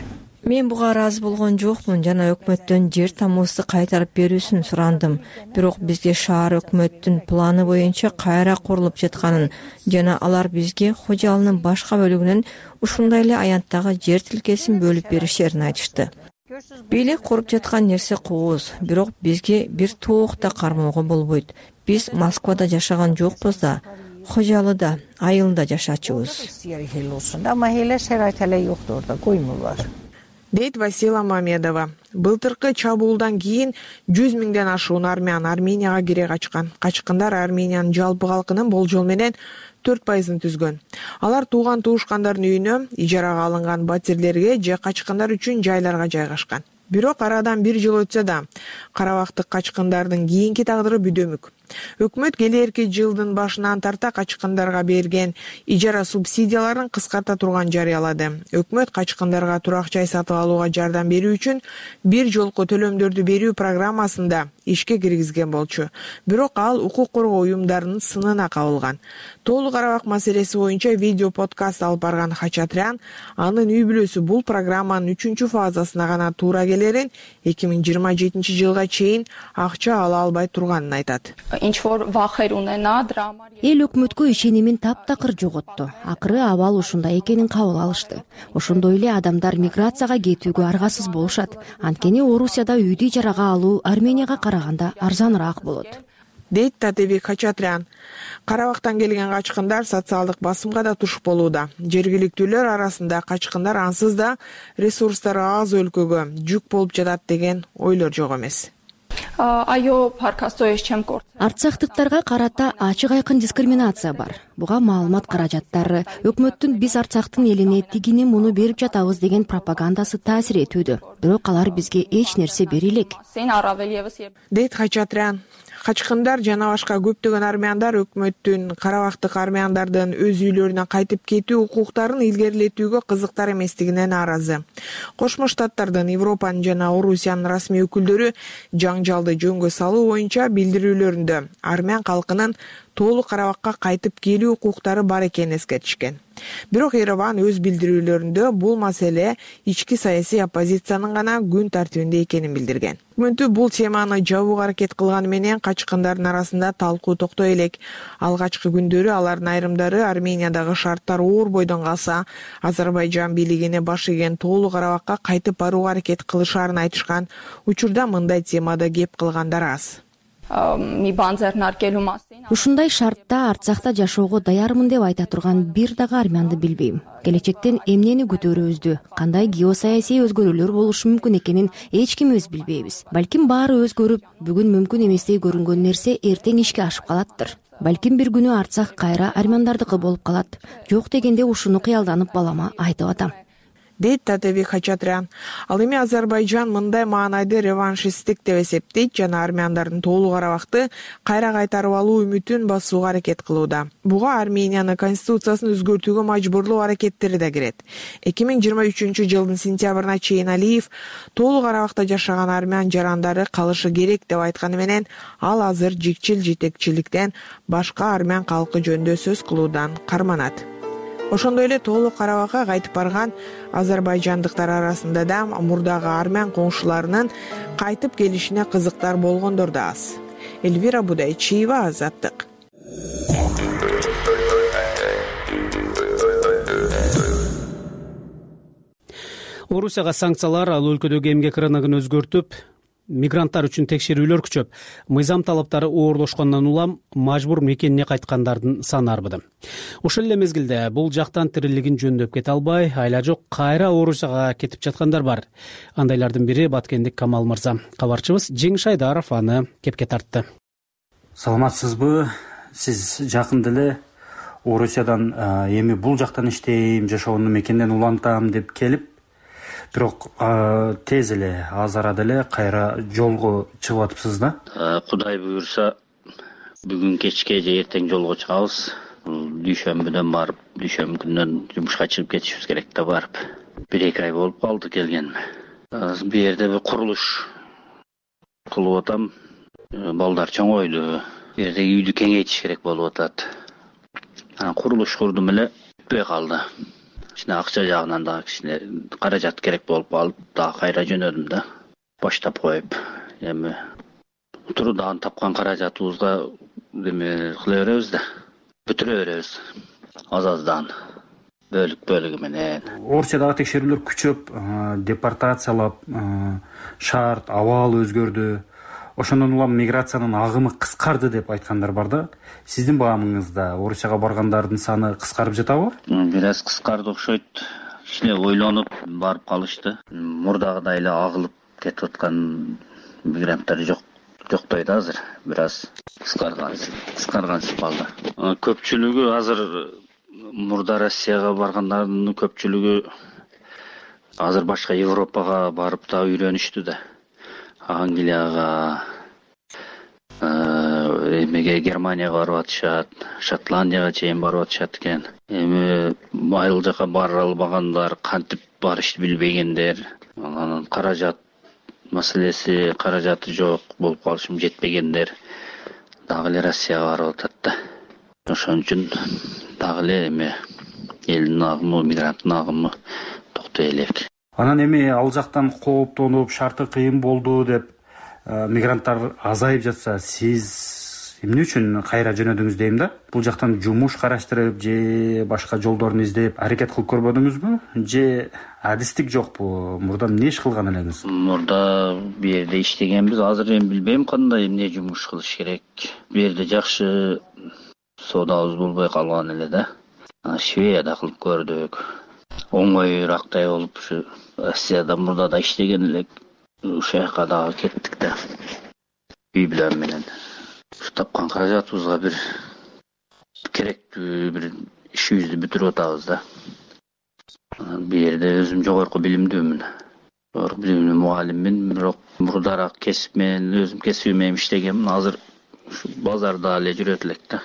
Мен буга ыраазы болгон жокмун жана өкмөттөн жер тамуусу кайтарып берүүсүн сурандым. Бирок бизге шаар өкмөттүн планы боюнча кайра курулуп жатканын жана алар бизге Хожалынын башка бөлүгүнөн ушундай эле аянттагы жер тилкесин бөлүп беришерин айтышты. Бийлик куруп жаткан нерсе кооз, бирок бизге бир тоок да кармоого болбойт. Биз Москвада жашаган жокпуз да, Хожалыда, айылда жашачубуз. Ama hele şerait hele yoktu orada, koymurlar. Дейт Васила Мамедова. Былтыркы чабуулдан кийин жүз миңден ашуун армян Арменияга кире качкан. Качкындар Армениянын жалпы калкынын болжол менен төрт пайызын түзгөн. Алар тууган туушкандардын үйүнө, ижарага алынган батирлерге же качкындар үчүн жайларга жайгашкан. Бирок арадан бир жыл өтсө да, карабактык качкындардын кийинки тагдыры бүдөмүк. Өкмөт келерки жылдын башынан тарта качкындарга берген ижара субсидияларын кыскарта турган жарыялады. Өкмөт качкындарга турак жай сатып алууга жардам берүү үчүн бир жолку төлөмдөрдү берүү программасында ишке киргизген болчу. Бирок ал укук коргоо уюмдарынын сынына кабылган. Тоолу Карабак маселеси боюнча видео подкаст алып барган Хачатрян анын үй бүлөсү бул программанын үчүнчү фазасына гана туура келерин, эки миң жыйырма жетинчи жылга чейин акча ала албай турганын айтат. Эл өкмөткө ишенимин таптакыр жоготту. Акыры абал ушундай экенин кабыл алышты. Ошондой эле адамдар миграцияга кетүүгө аргасыз болушат. Анткени Орусияда үйдү ижарага алуу Арменияга караганда арзаныраак болот. Дейт Татебек Хачатрян. Карабактан келген качкындар социалдык басымга да туш болууда. Жергиликтүүлөр арасында качкындар ансыз да ресурстары аз өлкөгө жүк болуп жатат деген ойлор жок эмес. Арцахтыктарга карата ачык айкын дискриминация бар. Буга маалымат каражаттары, өкмөттүн биз Арцахтын элине тигини муну берип жатабыз деген пропагандасы таасир этүүдө. Бирок алар бизге эч нерсе бере элек. Дейт Хачатрян. Качкындар жана башка көптөгөн армяндар өкмөттүн карабактык армяндардын өз үйлөрүнө кайтып кетүү укуктарын илгерилетүүгө кызыктар эместигине нааразы. Кошмо Штаттардын, Европанын жана Орусиянын расмий өкүлдөрү жаңжалды жөнгө салуу боюнча билдирүүлөрүндө армян калкынын тоолук Карабакка кайтып келүү укуктары бар экенин эскертишкен. Бирок Ереван өз билдирүүлөрүндө бул маселе ички саясий оппозициянын гана күн тартибинде экенин билдирген. Өкмөтү бул теманы жабууга аракет кылганы менен качкындардын арасында талкуу токтой элек. Алгачкы күндөрү алардын айрымдары Армениядагы шарттар оор бойдон калса, Азербайжан бийлигине баш ийген тоолук Карабакка кайтып барууга аракет кылышаарын айтышкан. Учурда мындай темада кеп кылгандар аз. Ушундай шартта Арцахта жашоого даярмын деп айта турган бир дагы армянды билбейм. Келечектен эмнени күтөрүбүздү, кандай геосаясий өзгөрүүлөр болушу мүмкүн экенин эч ким өз билбейбиз. Балким баары өзгөрүп, бүгүн мүмкүн эместей көрүнгөн нерсе эртең ишке ашып калаттыр. Балким бир күнү Арцах кайра армяндардыкы болуп калат. Жок дегенде ушуну кыялданып балама айтып атам. Дейт Татевик Хачатрян. Ал эми Азербайжан мындай маанайды реваншисттик деп эсептейт жана армяндардын тоолук Карабакты кайра кайтарып алуу үмүтүн басууга аракет кылууда. Буга Армениянын конституциясын өзгөртүүгө мажбурлоо аракеттери да кирет. эки миң жыйырма үчүнчү жылдын сентябрына чейин Алиев тоолук Карабакта жашаган армян жарандары калышы керек деп айтканы менен ал азыр жикчил жетекчиликтен башка армян калкы жөнүндө сөз кылуудан карманат. Ошондой эле тоолук Карабакка кайтып барган азербайжандыктар арасында да мурдагы армян коңшуларынын кайтып келишине кызыктар болгондор да аз. Эльвира Будайчиева, Азаттык. Орусияга санкциялар ал өлкөдөгү эмгек рыногун өзгөртүп, мигранттар үчүн текшерүүлөр күчөп, мыйзам талаптары оорлошкондон улам мажбур мекенине кайткандардын саны арбыды. Ошол эле мезгилде бул жактан тирилигин жөндөп кете албай, айла жок кайра Орусияга кетип жаткандар бар. Андайлардын бири Баткендик Камал мырза. Кабарчыбыз Жеңиш Айдаров аны кепке тартты. Саламатсызбы? Сиз жакында эле Орусиядан эми бул жактан иштейм, жашоону мекенден улантам деп келип, бирок тез эле аз арада эле кайра жолго чыгып атыпсыз да? Кудай буюрса, бүгүн кечке же эртең жолго чыгабыз. Дүйшөмбүдөн барып, дүйшөмбү күнүнөн жумушка чыгып кетишибиз керек да барып. бир эки ай болуп калды келгениме. Бу жерде бир курулуш кылып атам. Балдар чоңойду. Бу жерде үйдү кеңейтиш керек болуп атат. Курулуш курдум эле, бүтпөй калды. Ичине акча жагынан да кичине каражат керек болуп калып, да кайра жөнөдүм да. Баштап коюп, эми туруудан тапкан каражатыбызга эме кыла беребиз да. Бүтүрө беребиз. Аз-аздан бөлүк бөлүгү менен. Орусиядагы текшерүүлөр күчөп, депортациялап, шарт, абал өзгөрдү. Ошондон улам миграциянын агымы кыскарды деп айткандар бар да. Сиздин баамыңызда Орусияга баргандардын саны кыскарып жатабы? Бир аз кыскарды окшойт. Кичине ойлонуп барып калышты. Мурдагыдай эле агылып кетип аткан мигранттар жок. Жоктой да азыр. Бир аз кыскарган, кыскарганчылык калды. Көпчүлүгү азыр мурда Россияга баргандардын көпчүлүгү азыр башка Европага барып да үйрөнүштү да. Англияга, эмеге Германияга барып атышат, Шотландияга чейин барып атышат экен. Эми айыл жака бара албагандар, кантип барышты билбегендер, анан каражат маселеси, каражаты жок болуп калышым жетпегендер дагы эле Россияга барып атат да. Ошон үчүн дагы эле эме элдин агымы, мигранттын агымы токтой элек. Анан эми ал жактан кооптонуп, шарты кыйын болду деп мигранттар азайып жатса, сиз эмне үчүн кайра жөнөдүңүз дейм да? Бул жактан жумуш караштырып же башка жолдорун издеп аракет кылып көрбөдүңүзбү? Же адистик жокпу? Мурда эмне иш кылган элеңиз? Мурда бу жерде иштегенбиз. Азыр эми билбейм кандай эмне жумуш кылыш керек. Бу жерде жакшы соодабыз болбой калган эле да. Шведияда кылып көрдүк. Оңоюрактай болуп, ушу Россияда мурда да иштеген элек, ушул жака дагы кеттик да. үй бүлөм менен. Ушу тапкан каражатыбызга бир керектүү бир ишибизди бүтүрүп атабыз да. Бул жерде өзүм жогорку билимдүүмүн. Жогорку билимдүү мугалиммин, бирок мурдараак кесип менен өзүм кесибим менен иштегенмин. Азыр ушу базарда эле жүрөт элек да.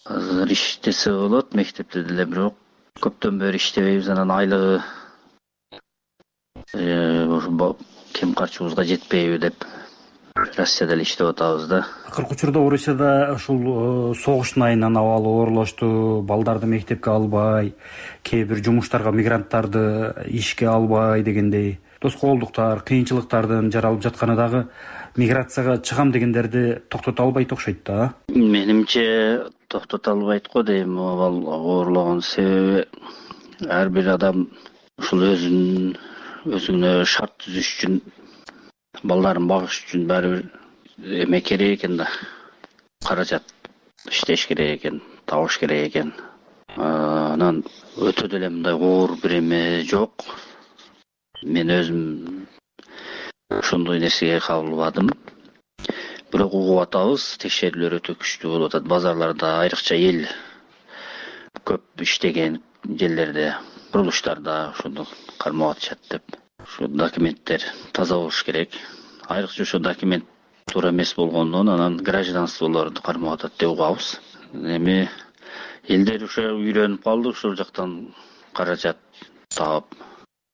Азыр иштесе болот, мектепте деле, бирок көптөн бери иштебейбиз. Анан айлыгы кем карчыбызга жетпейби деп Россияда эле иштеп атабыз да. Акыркы учурда Орусияда ушул согуштун айынан абалы оорлошту, балдарды мектепке албай, кээ бир жумуштарга мигранттарды ишке албай дегендей тоскоолдуктар, кыйынчылыктардын жаралып жатканы дагы миграцияга чыгам дегендерди токтото албайт окшойт да. Менимче токтото албайт го дейм. Абал оорлогон себеби ар бир адам ушул өзүнүн өзүнө шарт түзүш үчүн, балдарын багыш үчүн баары бир эме керек экен да. Каражат иштеш керек экен, табыш керек экен. Анан өтө деле мындай оор бир эме жок. Мен өзүм ошондой нерсеге кабылбадым. Бирок угуп атабыз, текшерүүлөр өтө күчтүү болуп атат. Базарларда, айрыкча эл көп иштеген жерлерде, курулуштарда ошондо кармап атышат деп. Ушу документтер таза болуш керек. Айрыкча ошо документ туура эмес болгондон анан гражданстволорду кармап атат деп угабыз. Эми элдер ушу үйрөнүп калды, ушул жактан каражат таап,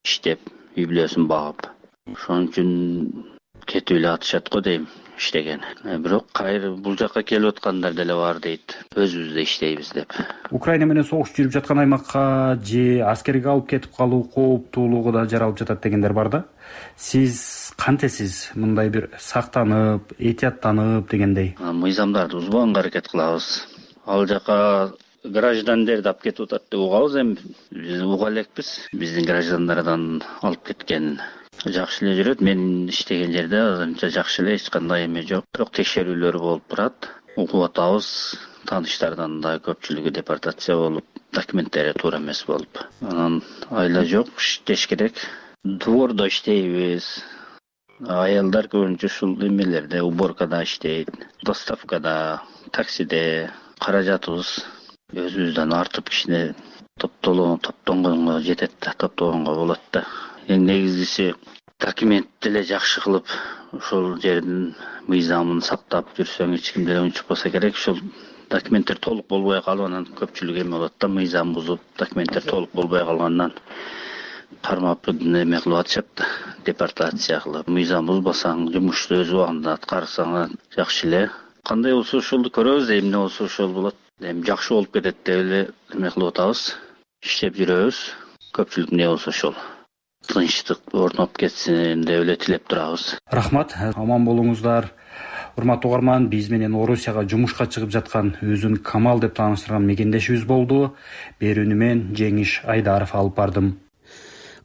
иштеп, үй бүлөсүн багып. Ошон үчүн кетип эле атышат го дейм, иштеген. Бирок кайра бул жакка келип аткандар деле бар дейт. Өзүбүздө иштейбиз деп. Украина менен согуш жүрүп жаткан аймакка же аскерге алып кетип калуу кооптуулугу да жаралып жатат дегендер бар да. Сиз кантесиз мындай бир сактанып, этияттанып дегендей? Мыйзамдарды бузбаганга аракет кылабыз. Ал жака граждандерди алып кетип атат деп угабыз. Эми биз уга элекпиз. Биздин граждандардан алып кеткен жакшы эле жүрөт. Мен иштеген жерде азырынча жакшы эле, эч кандай эме жок. Бирок текшерүүлөр болуп турат. Угуп атабыз. Тааныштардан да көпчүлүгү депортация болуп, документтери туура эмес болуп. Анан айла жок, иштеш керек. Двордо иштейбиз. Аялдар көбүнчө ушул эмелерде, уборкада иштейт, доставкада, таксиде. Каражатыбыз өзүбүздөн артып кичине топтонгонго жетет да, топтогонго болот да. Эң негизгиси документ деле жакшы кылып, ошол жердин мыйзамын сактап жүрсөң эч ким деле унчукпаса керек. Ошол документтер толук болбой калып, анан көпчүлүк эме болот да, мыйзам бузуп, документтер толук болбой калгандан кармап эме кылып атышат да, депортация кылып. Мыйзам бузбасаң, жумушту өз убагында аткарсаң жакшы эле. Кандай болсо ошолду көрөбүз, эмне болсо ошол болот. Эми жакшы болуп кетет деп эле эме кылып атабыз. Иштеп жүрөбүз. Көпчүлүк эмне болсо ошол. Тынчтык орноп кетсин деп эле тилеп турабыз. Рахмат, аман болуңуздар. Урматтуу угарман, биз менен Орусияга жумушка чыгып жаткан өзүн Камал деп тааныштырган мекендешибиз болду. Берүүнү мен Жеңиш Айдаров алып бардым.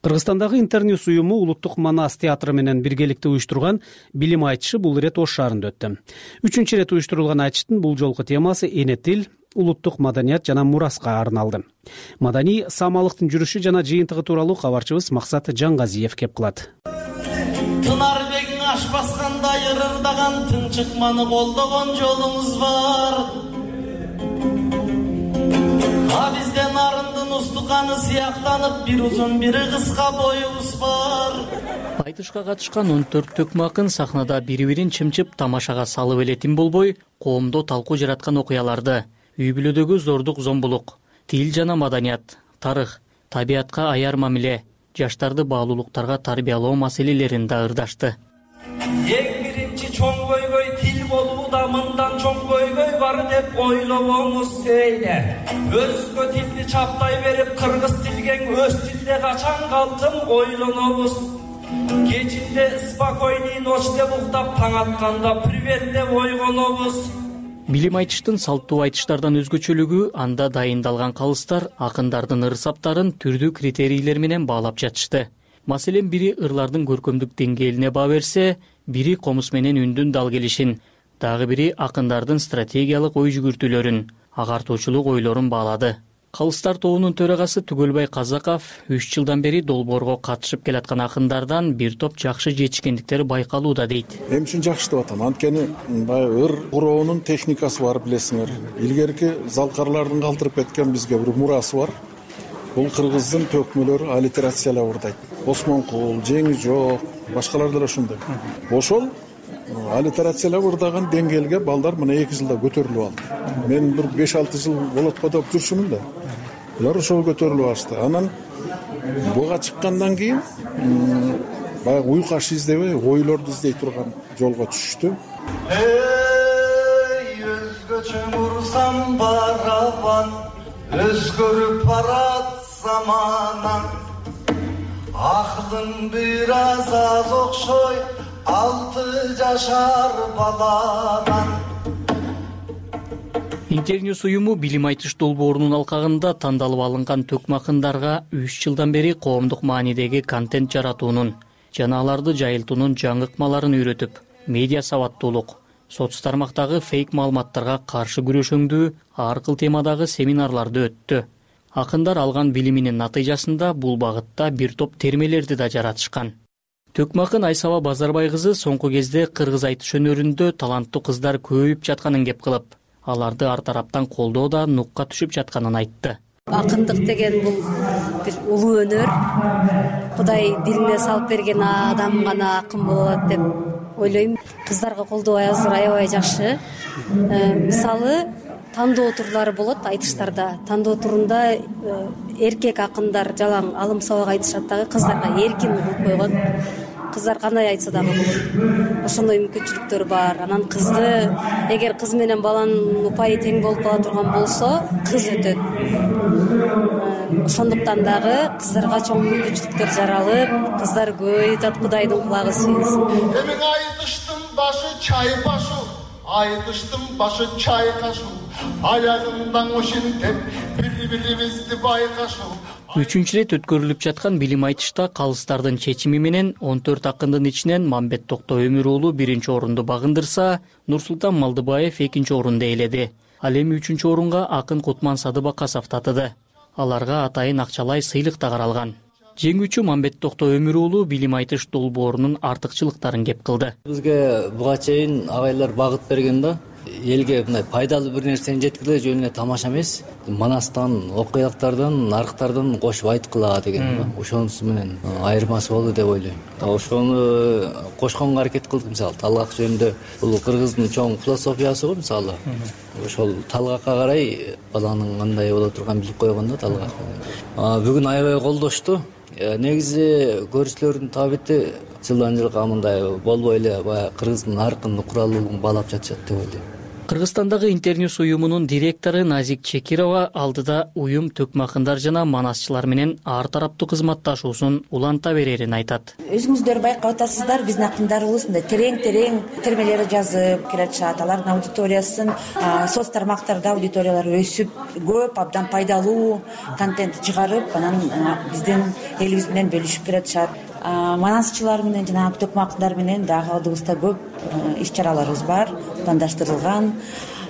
Кыргызстандагы Интерньюс уюму Улуттук Манас театры менен биргеликте уюштурган билим айтышы бул ирет Ош шаарында өттү. Үчүнчү ирет уюштурулган айтыштын бул жолку темасы эне тил, улуттук маданият жана мураска арналды. Маданий самалыктын жүрүшү жана жыйынтыгы тууралуу кабарчыбыз Максат Жаңгазиев кеп кылат. Тынарбегиң аш баскандай ырырдаган тың чыкманы колдогон жолуңуз бар. А бизден арындын устуканы сыяктанып, бир узун бири кыска боюбуз бар. Айтышка катышкан он төрт төкмө акын сахнада бири-бирин чымчып тамашага салып эле тим болбой, коомдо талкуу жараткан окуяларды, үй бүлөдөгү зордук зомбулук, тил жана маданият, тарых, табиятка аяр мамиле, жаштарды баалуулуктарга тарбиялоо маселелерин да ырдашты. Эң биринчи чоң көйгөй тил болууда, мындан чоң көйгөй бар деп ойлобоңуз сейле. Өзгө тилди чаптай берип, кыргыз тилген өз тилде качан калдым ойлонобуз. Кечинде спокойный ночь деп уктап, таң атканда привет деп ойгонобуз. Билим айтыштын салттуу айтыштардан өзгөчөлүгү анда дайындалган калыстар акындардын ыр-саптарын түрдүү критерийлер менен баалап жатышты. Маселен, бири ырлардын көркөмдүк деңгээлине баа берсе, бири комуз менен үндүн дал келишин, дагы бири акындардын стратегиялык ой жүгүртүүлөрүн, агартуучулук ойлорун баалады. Калыстар тобунун төрагасы Түгөлбай Казаков үч жылдан бери долбоорго катышып келаткан акындардан бир топ жакшы жетишкендиктери байкалууда дейт. Эми үчүн жакшы деп атам. Анткени баягы ыр куроонун техникасы бар, билесиңер. Илгерки залкарлардын калтырып кеткен бизге бир мурасы бар. Бул кыргыздын төкмөлөрү аллитерациялап ырдайт. Осмонкул, Жеңи жок, башкалар деле ошондой. Ошол аллитерациялап ырдаган деңгээлге балдар мына эки жылда көтөрүлүп алды. Мен бир беш алты жыл болот го деп жүрчүмүн да. Булар ошол көтөрүлүп алышты. Анан буга чыккандан кийин баягы уйкаш издебей, ойлорду издей турган жолго түшүштү. Эй, өзгөчө мурсам барабан, өзгөрүп барат заманан. Акылың бир аз аз окшой, алты жашар баладан. Интерньюс уюму билим айтыш долбоорунун алкагында тандалып алынган төкмө акындарга үч жылдан бери коомдук маанидеги контент жаратуунун жана аларды жайылтуунун жаңы ыкмаларын үйрөтүп, медиа сабаттуулук, соц тармактагы фейк маалыматтарга каршы күрөшөңдүү ар кыл темадагы семинарларды өттү. Акындар алган билиминин натыйжасында бул багытта бир топ термелерди да жаратышкан. Төкмө акын Айсаба Базарбай кызы соңку кезде кыргыз айтыш өнөрүндө таланттуу кыздар көбөйүп жатканын кеп кылып, аларды ар тараптан колдоо да нукка түшүп жатканын айтты. Акындык деген бул бир улуу өнөр. Кудай дилине салып берген адам гана акын боло алат деп ойлойм. Кыздарга колдоо азыр аябай жакшы. Мисалы, тандоо турлары болот айтыштарда. Тандоо турунда эркек акындар жалаң алым сабак айтышат дагы, кыздарга эркин кылып койгон. Кыздар кандай айтса дагы болот. Ошондой мүмкүнчүлүктөр бар. Анан кызды, эгер кыз менен баланын упайы тең болуп кала турган болсо, кыз өтөт. Ошондуктан дагы кыздарга чоң мүмкүнчүлүктөр жаралып, кыздар көбөйүп, Кудайдын кулагы сүйүнсүн. Эмиң айтыштын башы чайпашу, айтыштын башы чайкашу, аягымдан ошентип бири-бирибизди байкашу. Үчүнчү ирет өткөрүлүп жаткан билим айтышта калыстардын чечими менен он төрт акындын ичинен Мамбет Токто Өмүр уулу биринчи орунду багындырса, Нурсултан Малдыбаев экинчи орунду ээледи. Ал эми үчүнчү орунга акын Кутман Садыбакасов татыды. Аларга атайын акчалай сыйлык да каралган. Жеңүүчү Мамбет Токто Өмүр уулу билим айтыш долбоорунун артыкчылыктарын кеп кылды. Бизге буга чейин агайлар багыт берген да. Элге мындай пайдалуу бир нерсени жеткирүү жөнүнө тамаша эмес, манастан, окуялыктардан, нарыктардан кошуп айткыла деген ошонусу менен айырмасы болду деп ойлойм. Ошону кошконго аракет кылдык. Мисалы, талгак жөнүндө бул кыргыздын чоң философиясы го, мисалы. Ошол талгакка карай баланын кандай боло турганын билип койгон да талгак. Бүгүн аябай колдошту. Негизи көрүүчүлөрдүн табити жылдан жылга мындай болбой эле баягы кыргыздын наркын куралуулугун баалап жатышат деп ойлойм. Кыргызстандагы Интерньюс уюмунун директору Назик Чекирова алдыда уюм төкмө акындар жана манасчылар менен ар тараптуу кызматташуусун уланта берерин айтат. Өзүңүздөр байкап атасыздар, биздин акындарыбыз мындай терең-терең термелер жазып келатышат. Алардын аудиториясын соц тармактарда аудиториялары өсүп, көп абдан пайдалуу контент чыгарып, анан биздин элибиз менен бөлүшүп келатышат. Манасчылар менен жана төкмө акындар менен дагы алдыбызда көп иш чараларыбыз бар, пландаштырылган.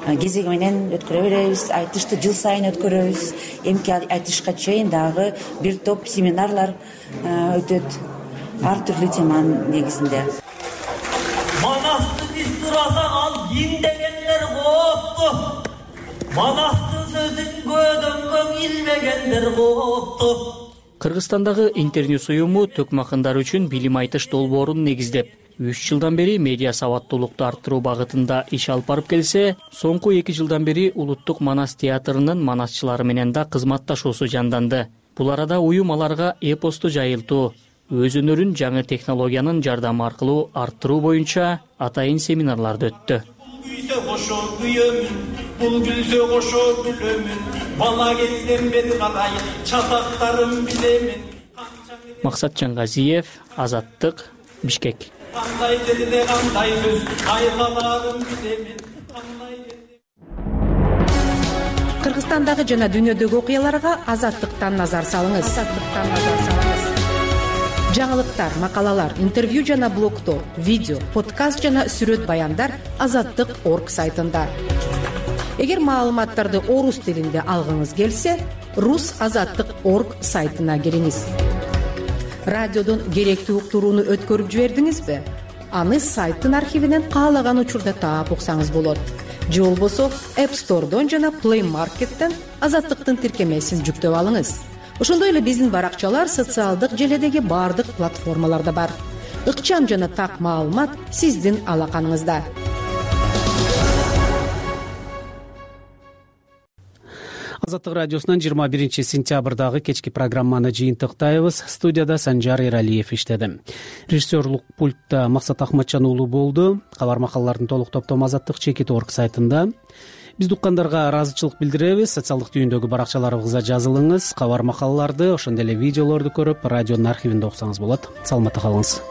Кезеги менен өткөрө беребиз, айтышты жыл сайын өткөрөбүз. Эмки айтышка чейин дагы бир топ семинарлар өтөт, ар түрлүү теманын негизинде. Манасты биз турасак ал ким дегендер коопту. Манастын сөзүн көдөнгөн илмегендер коопту. Кыргызстандагы Интерньюс уюму төкмө акындар үчүн билим айтыш долбоорун негиздеп, үч жылдан бери медиа сабаттуулукту арттыруу багытында иш алып барып келсе, соңку эки жылдан бери Улуттук Манас театрынын манасчылары менен да кызматташуусу жанданды. Бул арада уюм аларга эпосту жайылтуу, өз өнөрүн жаңы технологиянын жардамы аркылуу арттыруу боюнча атайын семинарларды өттү. Күйсө кошо күйөмүн, бул күлсө кошо күлөмүн, бала кезден бери кадай чатактарым билемин. Максатжан Газиев, Азаттык, Бишкек. Кандай жерде кандай сөз айкаларым билемин. Кыргызстандагы жана дүйнөдөгү окуяларга Азаттыктан назар салыңыз. Азаттыктан назар салыңыз. Жаңылыктар, макалалар, интервью жана блогдор, видео, подкаст жана сүрөт баяндар азаттык точка орг сайтында. Эгер маалыматтарды орус тилинде алгыңыз келсе, рус азаттык орг сайтына кириңиз. Радиодон керектүү уктурууну өткөрүп жибердиңизби? Аны сайттын архивинен каалаган учурда таап уксаңыз болот. Же болбосо App Store'дон жана Play Market'тен азаттыктын тиркемесин жүктөп алыңыз. Ошондой эле биздин баракчалар социалдык желедеги баардык платформаларда бар. Ыкчам жана так маалымат сиздин алаканыңызда. Азаттык радиосунан жыйырма биринчи сентябрдагы кечки программаны жыйынтыктайбыз. Студияда Санжар Эралиев иштеди. Режиссерлук пультта Максат Ахматжан уулу болду. Кабар макалалардын толук топтому азаттык чекит орг сайтында. Бизди уккандарга ыраазычылык билдиребиз. Социалдык түйүндөгү баракчаларыбызга жазылыңыз. Кабар макалаларды, ошондой эле видеолорду көрүп, радионун архивинде уксаңыз болот. Саламатта калыңыз.